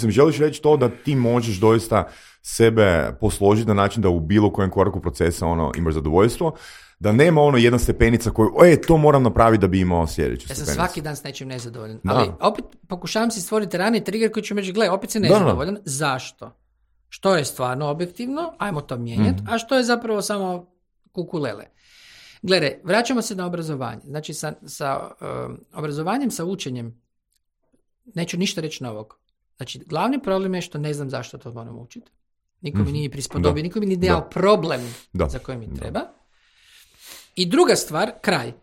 želiš reći to da ti možeš doista sebe posložiti na način da u bilo kojem koraku procesa imaš zadovoljstvo, da nema jedna stepenica koju, to moram napraviti da bi imao sljedeću stepenicu. Ja sam svaki dan s nečim nezadovoljan. Ali opet pokušavam si stvoriti raniji trigger koji će me reći, gle, opet si nezadovoljan. Da. Zašto? Što je stvarno objektivno, ajmo to mijenjati, a što je zapravo samo kukulele. Gledaj, vraćamo se na obrazovanje. Znači, sa obrazovanjem, sa učenjem, neću ništa reći novog. Znači, glavni problem je što ne znam zašto to moram učiti. Niko mi nije prispodobio, niko mi nije dao problem za koji mi treba. I druga stvar, kraj.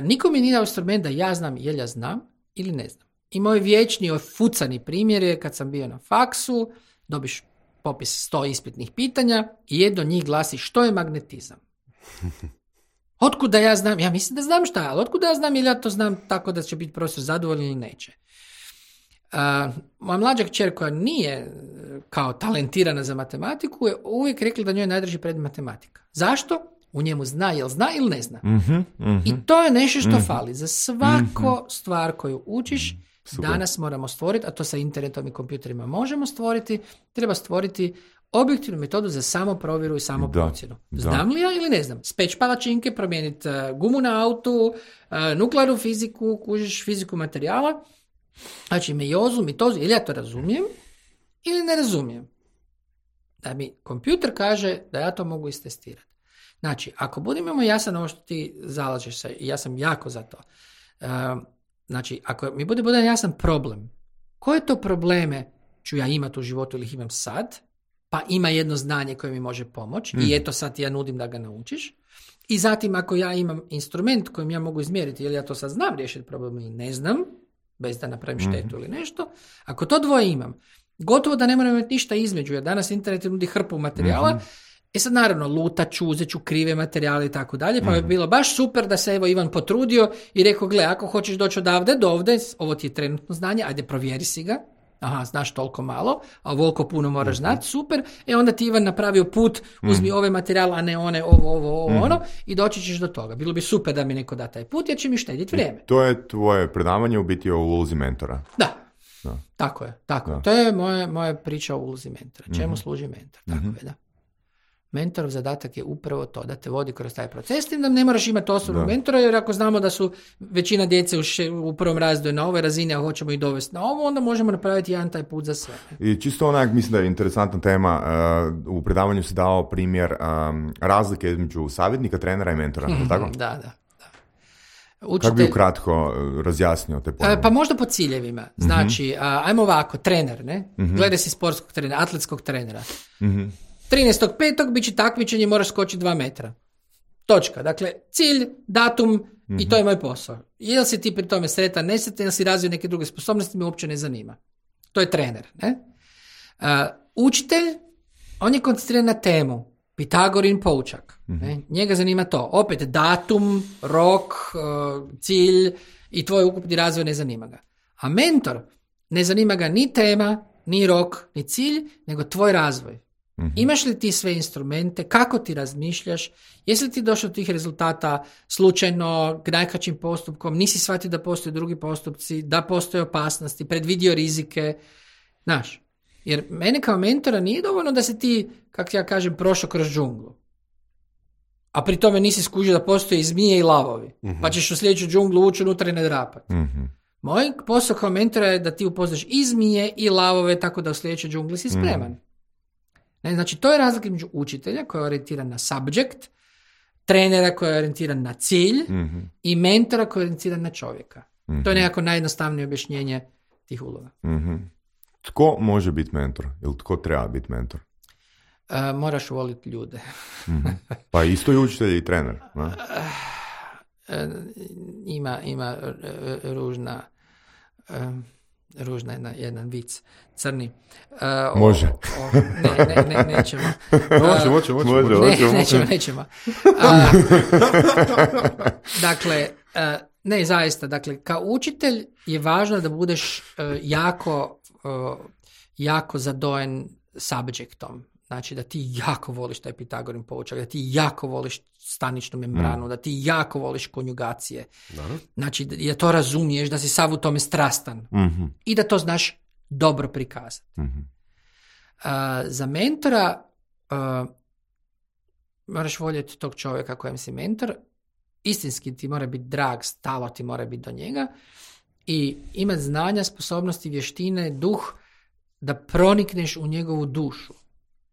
Niko mi nije dao instrument da ja znam jel ja znam ili ne znam. I moj vječni ofucani primjer je kad sam bio na faksu, dobiš popis 100 ispitnih pitanja i jedno od njih glasi što je magnetizam. Otkud da ja znam? Ja mislim da znam šta je, ali otkud da ja znam ili ja to znam tako da će biti profesor zadovoljan ili neće. Moja mlađa kćer koja nije kao talentirana za matematiku je uvijek rekla da njoj je najdraži predmet matematika. Zašto? U njemu zna ili ne zna. I to je nešto što fali. Za svako stvar koju učiš, danas moramo stvoriti, a to sa internetom i kompjuterima možemo stvoriti, treba stvoriti objektivnu metodu za samoprovjeru i samoprocjenu. Znam li ja ili ne znam? Speći palačinke, promijeniti gumu na autu, nuklearnu fiziku, kužiš fiziku materijala, znači mejozu, mitozu, ili ja to razumijem ili ne razumijem. Da mi kompjuter kaže da ja to mogu istestirati. Znači, ako budemo jasan ovo što ti zalažeš se, i ja sam jako za to, znači, ako mi bude jasan problem, koje to probleme ću ja imati u životu ili ih imam sad, pa ima jedno znanje koje mi može pomoći i eto sad ja nudim da ga naučiš. I zatim ako ja imam instrument kojim ja mogu izmjeriti ili ja to sad znam riješiti problem ili ne znam, bez da napravim štetu ili nešto, ako to dvoje imam, gotovo da ne moram imati ništa između, jer danas internet nudi hrpu materijala, sad naravno lutaću, uzet ću krive materijale i tako dalje, pa bi bilo baš super da se Ivan potrudio i rekao, gle, ako hoćeš doći odavde do ovde, ovo ti je trenutno znanje, ajde provjeri si ga, aha, znaš toliko malo, a ovoliko puno moraš znati, super, onda ti Ivan napravio put, uzmi ove materijale, a ne one, ovo, ono, i doći ćeš do toga. Bilo bi super da mi neko da taj put, jer će mi štediti vrijeme. To je tvoje predavanje u biti o ulozi mentora. Da. Tako je. To je moja priča o ulozi mentora. Čemu služi mentor? Tako je, da. Mentorov zadatak je upravo to, da te vodi kroz taj proces, tim da ne moraš imati osobnog mentora, jer ako znamo da su većina djece u prvom razredu na ovoj razini, a hoćemo ih dovesti na ovo, onda možemo napraviti jedan taj put za sve. I čisto onak, mislim da je interesantna tema, u predavanju se dao primjer razlike između savjetnika, trenera i mentora, tako? Da. Kako bi ukratko razjasnio te pojme? Pa možda po ciljevima. Znači, ajmo ovako, trener, ne? Gledaj si sportskog trenera, atletskog trenera. 13.5. bit će takmičenje, moraš skočiti 2 metra. Točka. Dakle, cilj, datum i to je moj posao. Jel si ti pri tome sretan, nesretan, jel si razvio neke druge sposobnosti, me uopće ne zanima. To je trener. Ne? Učitelj, on je koncentriran na temu. Pitagorin poučak. Ne? Njega zanima to. Opet, datum, rok, cilj i tvoj ukupni razvoj ne zanima ga. A mentor, ne zanima ga ni tema, ni rok, ni cilj, nego tvoj razvoj. Imaš li ti sve instrumente, kako ti razmišljaš, jesi li ti došao do tih rezultata slučajno, najkraćim postupkom, nisi shvatio da postoje drugi postupci, da postoje opasnosti, predvidio rizike, znaš. Jer mene kao mentora nije dovoljno da se ti, kako ja kažem, prošao kroz džunglu. A pri tome nisi skužio da postoje i zmije i lavovi. Pa ćeš u sljedeću džunglu ući unutra i ne drapati. Moj posao kao mentora je da ti upoznaš i zmije i lavove tako da u sljedećoj džungli si spreman. Ne, znači, to je razlika između učitelja koji je orijentiran na subject, trenera koji je orijentiran na cilj i mentora koji je orijentiran na čovjeka. To je nekako najjednostavnije objašnjenje tih uloga. Tko može biti mentor? Ili tko treba biti mentor? Moraš voliti ljude. Pa isto i učitelj i trener. Ima ružna jedan vic, crni. Može. Nećemo. Nećemo. Dakle, ne, zaista, dakle, kao učitelj je važno da budeš jako zadojen subjektom. Znači da ti jako voliš taj Pitagorin poučak, da ti jako voliš staničnu membranu, da ti jako voliš konjugacije. Znači da to razumiješ, da si sav u tome strastan i da to znaš dobro prikazati. Za mentora moraš voljeti tog čovjeka kojem si mentor, istinski ti mora biti drag, stalo ti mora biti do njega i imati znanja, sposobnosti, vještine, duh da pronikneš u njegovu dušu.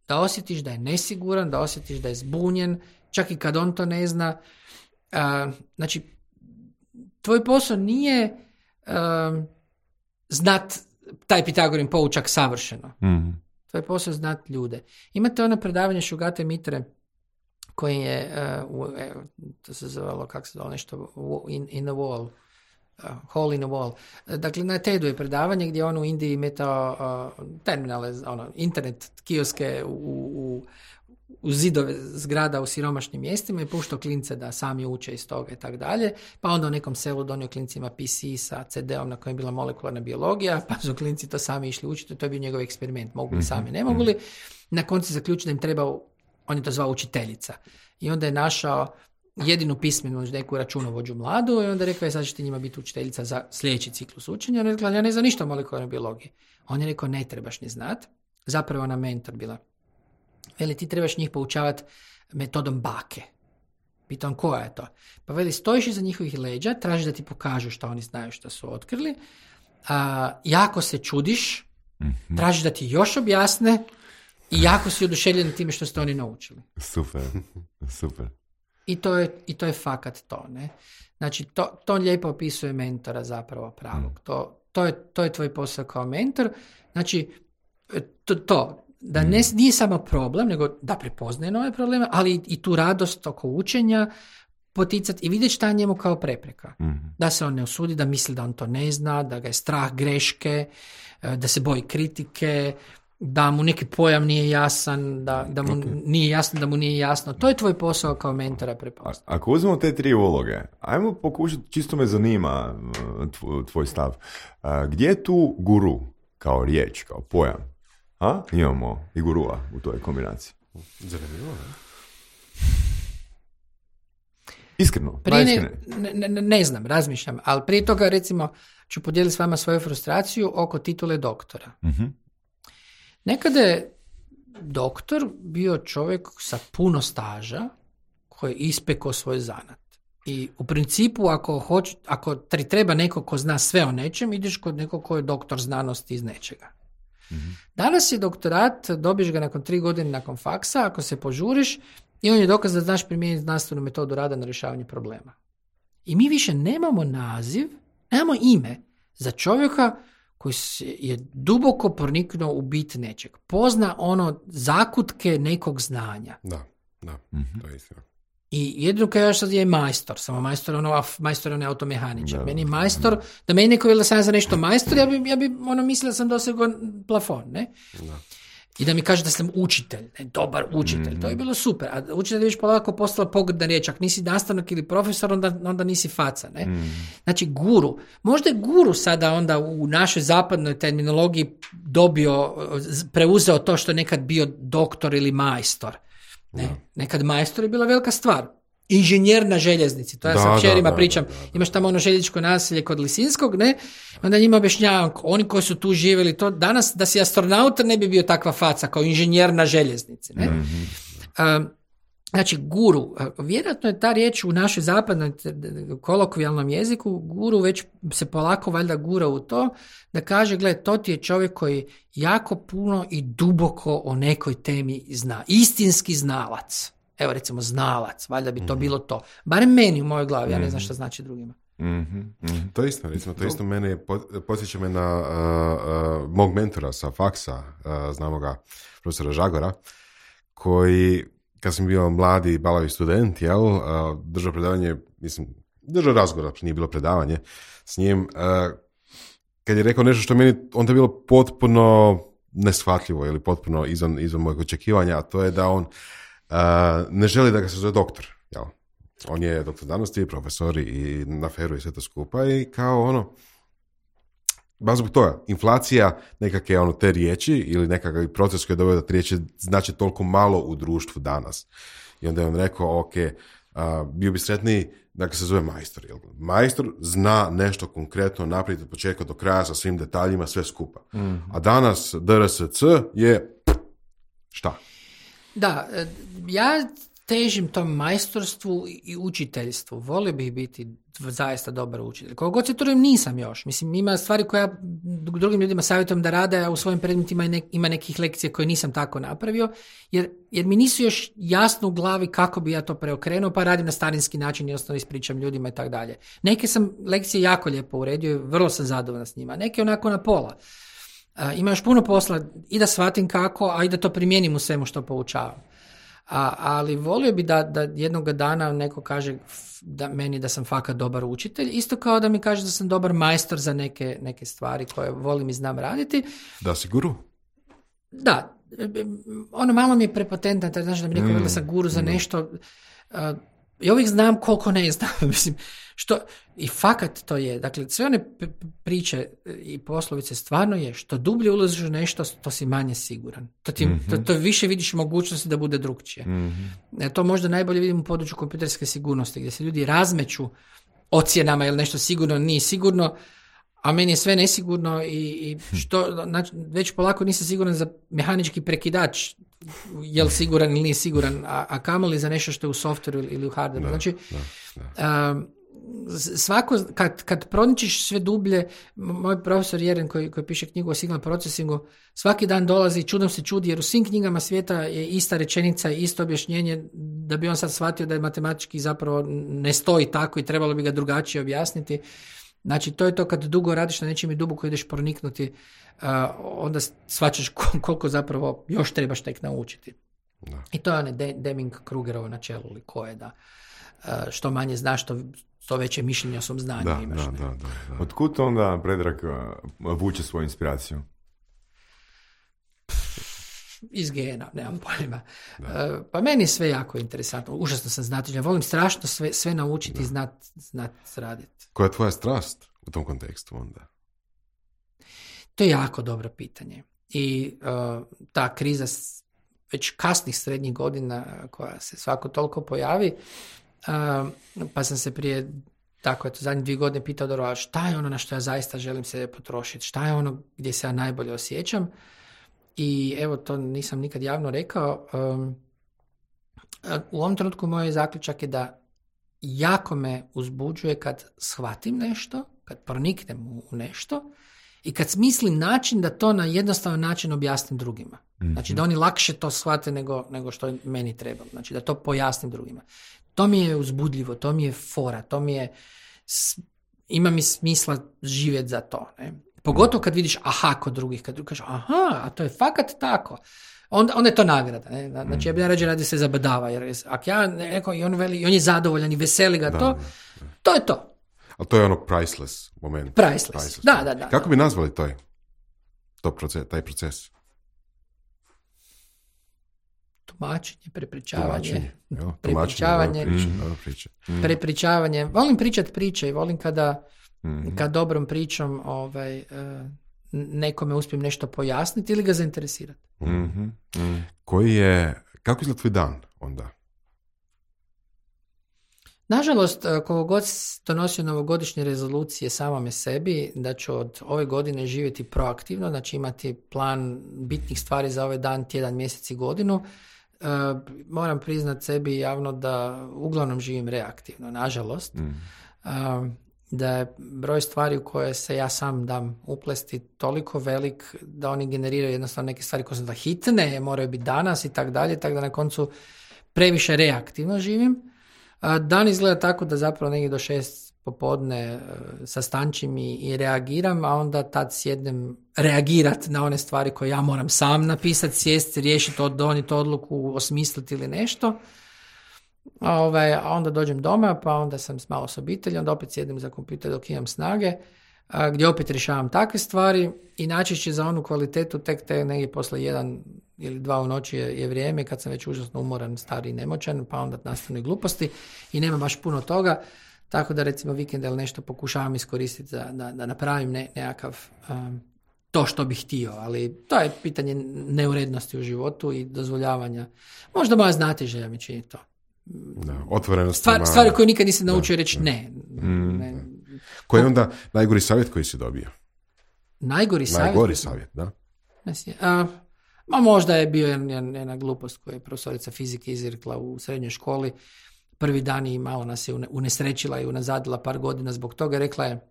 Da osjetiš da je nesiguran, da osjetiš da je zbunjen, čak i kad on to ne zna. Znači, tvoj posao nije znat taj Pitagorin poučak savršeno. Tvoj posao je znat ljude. Imate ono predavanje Šugate Mitre koji je, to se zvalo, kako se zvalo nešto, in the wall, hole in the wall. Dakle, na TED-u je predavanje gdje on u Indiji metao terminale, internet kioske u zidove zgrada u siromašnim mjestima i puštao klince da sami uče iz toga i tako dalje. Pa onda u nekom selu donio klincima PC sa CD-om na kojem je bila molekularna biologija, pa su klinci to sami išli učiti. To je bio njegov eksperiment. Mogu li sami, ne mogu li. Na koncu zaključio da im treba, on je to zvao učiteljica. I onda je našao jedinu pismenu neku računovođu mladu i onda rekao je sad će ti njima biti učiteljica za sljedeći ciklus učenja. Ona je rekla, ja ne znam ništa o molekularnoj biologiji. On je rekao, ne trebaš ni znat. Zapravo ona mentor bila. Veli, ti trebaš njih poučavati metodom bake. Pitam, koja je to? Pa veli, stojiš iza njihovih leđa, tražiš da ti pokažu što oni znaju što su otkrili. Jako se čudiš, tražiš da ti još objasne i jako si oduševljen time što ste oni naučili. Super. I to je fakat to, ne? Znači, to lijepo opisuje mentora zapravo pravog. To je tvoj posao kao mentor. Znači, da nije samo problem, nego da prepoznaje nove probleme, ali i tu radost oko učenja poticati i vidjeti šta je njemu kao prepreka. Da se on ne usudi, da misli da on to ne zna, da ga je strah greške, da se boji kritike, da mu neki pojam nije jasan, da mu nije jasno, da mu nije jasno. To je tvoj posao kao mentora prepoznati. Ako uzmemo te 3 uloge, ajmo pokušati, čisto me zanima tvoj stav. Gdje je tu guru kao riječ, kao pojam? Imamo i gurua u toj kombinaciji. Zanimljivo, ne? Iskreno, ne znam, razmišljam, ali prije toga recimo ću podijeliti s vama svoju frustraciju oko titule doktora. Nekada je doktor bio čovjek sa puno staža koji je ispekao svoj zanat. I u principu ako ti treba neko ko zna sve o nečem, ideš kod nekog ko je doktor znanosti iz nečega. Danas je doktorat, dobiješ ga nakon 3 godine nakon faksa, ako se požuriš, i on je dokaz da znaš primijeniti znanstvenu metodu rada na rješavanje problema. I mi više nemamo naziv, nemamo ime za čovjeka koji je duboko proniknuo u bit nečeg. Pozna zakutke nekog znanja. Da, to je istina. I jedino kaj još sad je majstor, samo majstor je automehaničar. Meni je majstor, da meni neko da sam ja za nešto majstor, ja bi mislila da sam dosegao plafon, ne? Da. I da mi kaže da sam učitelj, dobar učitelj, to je bilo super. A učitelj je već polako postala pogrdna riječ, ako nisi nastavnik ili profesor, onda nisi faca, ne? Znači guru, možda je guru sada onda u našoj zapadnoj terminologiji preuzeo to što je nekad bio doktor ili majstor. Nekad majstor je bila velika stvar. Inženjer na željeznici, to ja sa kćerima pričam. Imaš tamo željezničko naselje kod Lisinskog, ne? Onda njima objašnjavam, oni koji su tu živjeli, to danas da si astronaut ne bi bio takva faca kao inženjer na željeznici, ne? Znači, guru, vjerojatno je ta riječ u našoj zapadnoj kolokvijalnom jeziku, guru već se polako valjda gura u to, da kaže, gle, to ti je čovjek koji jako puno i duboko o nekoj temi zna. Istinski znalac. Evo recimo znalac, valjda bi to bilo to. Barem meni u mojoj glavi, ja ne znam šta znači drugima. To je isto, recimo, to isto mene podsjeća me na mog mentora sa faksa, znamo ga, profesora Žagora, koji, kad sam bio mladi balavi student, držao predavanje, držao razgovor, nije bilo predavanje s njim, kad je rekao nešto što meni onda je bilo potpuno neshvatljivo ili potpuno izvan mojeg očekivanja, a to je da on ne želi da ga se zove doktor, jel? On je doktor znanosti, profesor i na feru i sve to skupa i kao baš zbog toga, inflacija nekakve te riječi ili nekakav proces koji je doveo da te riječi znači toliko malo u društvu danas. I onda je on rekao, bio bi sretniji da ga se zove majstor. Majstor zna nešto konkretno napraviti od početka do kraja sa svim detaljima, sve skupa. A danas DRSC je šta? Da, ja težim tom majstorstvu i učiteljstvu. Volio bih biti zaista dobar učitelj. Koliko god se trudim, nisam još. Mislim, ima stvari koje ja drugim ljudima savjetujem da rade, a u svojim predmetima ima nekih lekcija koje nisam tako napravio, jer mi nisu još jasno u glavi kako bi ja to preokrenuo, pa radim na starinski način i jednostavno ispričam ljudima i tako dalje. Neke sam lekcije jako lijepo uredio i vrlo sam zadovoljan s njima. Neke onako na pola. Ima još puno posla i da shvatim kako, a i da to primijenim u svemu što poučavam. Ali volio bi da jednog dana neko kaže meni da sam fakat dobar učitelj, isto kao da mi kaže da sam dobar majstor za neke stvari koje volim i znam raditi. Da si guru? Da, malo mi je prepotentno, znači da mi neko da sam guru za nešto. I uvijek znam koliko ne znam. Mislim, i fakat to je. Dakle, sve one priče i poslovice stvarno je što dublje ulaziš u nešto, to si manje siguran. To više vidiš mogućnosti da bude drugčije. To možda najbolje vidim u području kompjuterske sigurnosti, gdje se ljudi razmeću ocjenama ili nešto sigurno nije sigurno, a meni je sve nesigurno i znači, već polako nisam siguran za mehanički prekidač, je li siguran ili nije siguran, a kamoli za nešto što je u softveru ili u hardveru. Znači, svako, kad proničiš sve dublje, moj profesor Jeren koji piše knjigu o signal procesingu, svaki dan dolazi, čudom se čudi, jer u svim knjigama svijeta je ista rečenica i isto objašnjenje, da bi on sad shvatio da je matematički zapravo ne stoji tako i trebalo bi ga drugačije objasniti. Znači, to je to kad dugo radiš na nečem i duboko ideš proniknuti, onda shvaćaš koliko zapravo još trebaš tek naučiti. Da. I to je onaj Deming-Krugerovo načelo, ili koje da što manje znaš, to veće mišljenje o svom znanju imaš. Da. Otkud onda Predrag vuče svoju inspiraciju? Iz gena, nemam pojma. Pa meni je sve jako interesantno. Užasno sam znatelj. Volim strašno sve naučiti i znat raditi. Koja je tvoja strast u tom kontekstu onda? To je jako dobro pitanje. I ta kriza već kasnih srednjih godina koja se svako toliko pojavi, pa sam se prije zadnjih 2 godine pitao dobro, šta je ono na što ja zaista želim se potrošiti? Šta je ono gdje se ja najbolje osjećam? I evo, to nisam nikad javno rekao. U ovom trenutku moj zaključak je da jako me uzbuđuje kad shvatim nešto, kad proniknem u nešto i kad smislim način da to na jednostavan način objasnim drugima. Znači da oni lakše to shvate nego što meni treba. Znači da to pojasnim drugima. To mi je uzbudljivo, to mi je fora, ima mi smisla živjeti za to. Ne? Pogotovo kad vidiš kod drugih, kad drugi kažu a to je fakat tako. Onda je to nagrada. Ne? Znači ja bi rađe radio se zabadava, jer ako ja neko i on veli, i on je zadovoljan i veseli ga to je to. Ali to je ono priceless moment. Priceless. Da. Kako bi nazvali taj proces? Tumačenje, prepričavanje. Prepričavanje. Volim pričati priče i volim kada dobrom pričom nekome uspijem nešto pojasniti ili ga zainteresirati. Kako izgleda tvoj dan onda? Nažalost, koliko god donosio novogodišnje rezolucije samome sebi, da ću od ove godine živjeti proaktivno, znači imati plan bitnih stvari za ovaj dan, tjedan, mjesec i godinu, moram priznat sebi javno da uglavnom živim reaktivno, nažalost. Da je broj stvari u koje se ja sam dam uplesti toliko velik da oni generiraju jednostavno neke stvari koje su da hitne, moraju biti danas i tak dalje, tako da na koncu previše reaktivno živim. Dan izgleda tako da zapravo negdje do 6 popodne sastančim i reagiram, a onda tad sjednem reagirat na one stvari koje ja moram sam napisati, sjesti, riješiti, donijeti odluku, osmisliti ili nešto. A onda dođem doma, pa onda sam malo s obitelji, onda opet sjedim za kompjuter dok imam snage, gdje opet rješavam takve stvari i najčešće za onu kvalitetu tek te negdje posle 1 ili 2 u noći je vrijeme kad sam već užasno umoran, stari i nemoćan, pa onda nastanu gluposti i nema baš puno toga, tako da recimo vikend ili nešto pokušavam iskoristiti da napravim nekakav to što bih htio, ali to je pitanje neurednosti u životu i dozvoljavanja. Možda moja znatiželja mi čini to. Da, otvorenost. Stvari koje nikad nisam naučio reći ne. Koji je onda najgori savjet koji si dobio? Najgori savjet, da. Možda je bio jedna glupost koju je profesorica fizike izrekla u srednjoj školi. Prvi dan i malo nas je unesrećila i unazadila par godina zbog toga. Rekla je,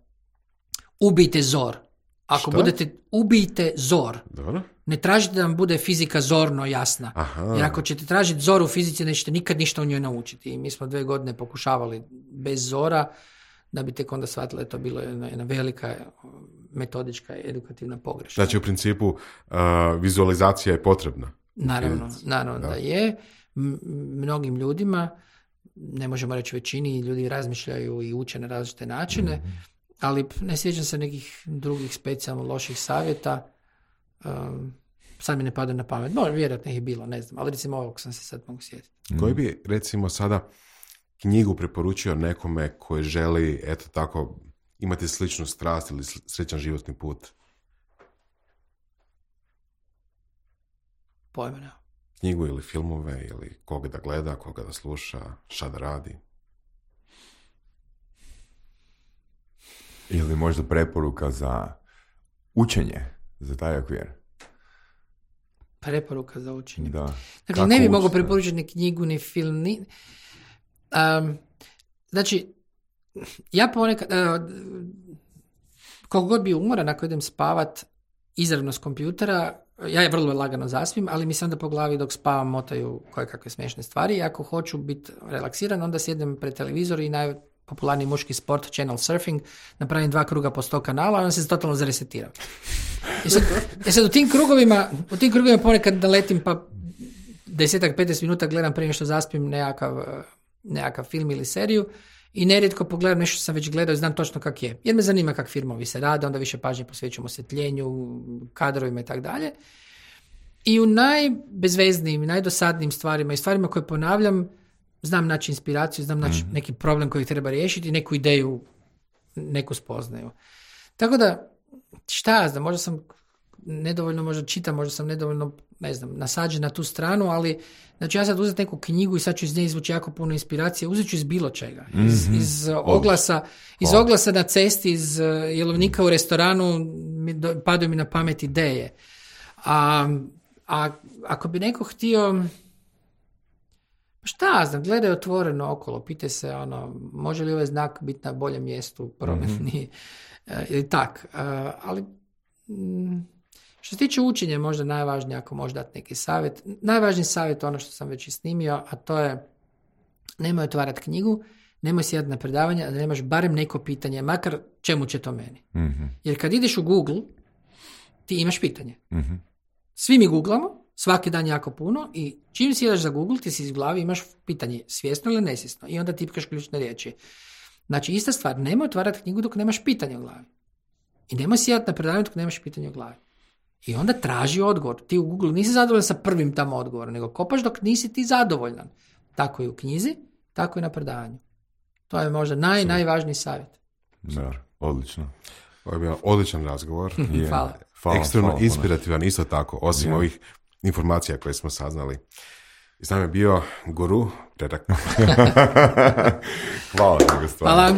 ubijte zor. Ako budete, ubijte zor. Dobro. Ne tražite da vam bude fizika zorno jasna. Aha. Jer ako ćete tražiti zor u fizici, nećete nikad ništa u njoj naučiti. I mi smo 2 godine pokušavali bez zora, da bi tek onda shvatili da to bilo jedna velika metodička i edukativna pogreška. Znači, u principu, vizualizacija je potrebna. Naravno da je. Mnogim ljudima, ne možemo reći većini, ljudi razmišljaju i uče na različite načine, ali ne sjećam se nekih drugih specijalno loših savjeta. Sad mi ne pada na pamet. Vjerojatno ih je bilo, ne znam, ali recimo ovog sam se sad mogu sjetiti. Koji bi, recimo, sada knjigu preporučio nekome koji želi, eto tako, imati sličnu strast ili sličan životni put? Pojma ne. Knjigu ili filmove ili koga da gleda, koga da sluša, šta da radi? Ili možda preporuka za učenje, za taj okvir? Preporuka za učenje. Da. Dakle, kako ne bi mogao preporučiti ni knjigu, ni film, znači, ja ponekad, koliko god bi umoran, ako idem spavat izravno s kompjutera, ja je vrlo lagano zaspim, ali mi se onda po glavi dok spavam motaju koje kakve smiješne stvari i ako hoću biti relaksiran, onda sjedem pred televizor i najpopularniji muški sport, channel surfing, napravim 2 kruga po 100 kanala, a onda se totalno zaresetiram. I sad u tim krugovima ponekad naletim pa 10-15 minuta gledam prije što zaspim nekakav film ili seriju i nerijetko pogledam nešto što sam već gledao i znam točno kak je. Jer me zanima kak filmovi se rade, onda više pažnje posvećujemo osvjetljenju, kadrovima i tako dalje. I u najbezveznijim, najdosadnijim stvarima i stvarima koje ponavljam, znam naći inspiraciju, znam naći neki problem koji treba riješiti, neku ideju, neku spoznaju. Tako da, šta ja znam, možda sam nedovoljno možda čitam, možda sam nedovoljno, ne znam, nasađen na tu stranu, ali znači ja sad uzeti neku knjigu i sad ću iz nje izvući jako puno inspiracije, uzet ću iz bilo čega. Iz oglasa na cesti, iz jelovnika u restoranu, padaju mi na pamet ideje. A ako bi neko htio, šta ja znam, gledaj otvoreno okolo, pitaj se može li ovaj znak biti na boljem mjestu, prometni, ili tak. Ali što se tiče učenja, možda najvažnije, ako možeš dati neki savjet. Najvažniji savjet je ono što sam već i snimio, a to je nemoj otvarati knjigu, nemoj sjedati na predavanje, a da nemaš barem neko pitanje, makar čemu će to meni. Jer kad ideš u Google, ti imaš pitanje. Svi mi googlamo, svaki dan jako puno i čim sjedaš za Google, ti si iz glavi imaš pitanje svjesno ili nesvjesno i onda tipkaš ključne riječi. Znači, ista stvar, nemoj otvarati knjigu dok nemaš pitanje u glavi. I nemoj sjedati na predavanju dok nemaš pitanje u glavi. I onda traži odgovor. Ti u Google nisi zadovoljan sa prvim tamo odgovorom, nego kopaš dok nisi ti zadovoljan. Tako i u knjizi, tako i na predavanju. To je možda najvažniji savjet. Da, odlično. Ovo je bio odličan razgovor. Hvala. Ekstremno inspirativan, isto tako, osim ovih informacija koje smo saznali. I s nama je bio guru Predrag Pale. Hvala. Hvala.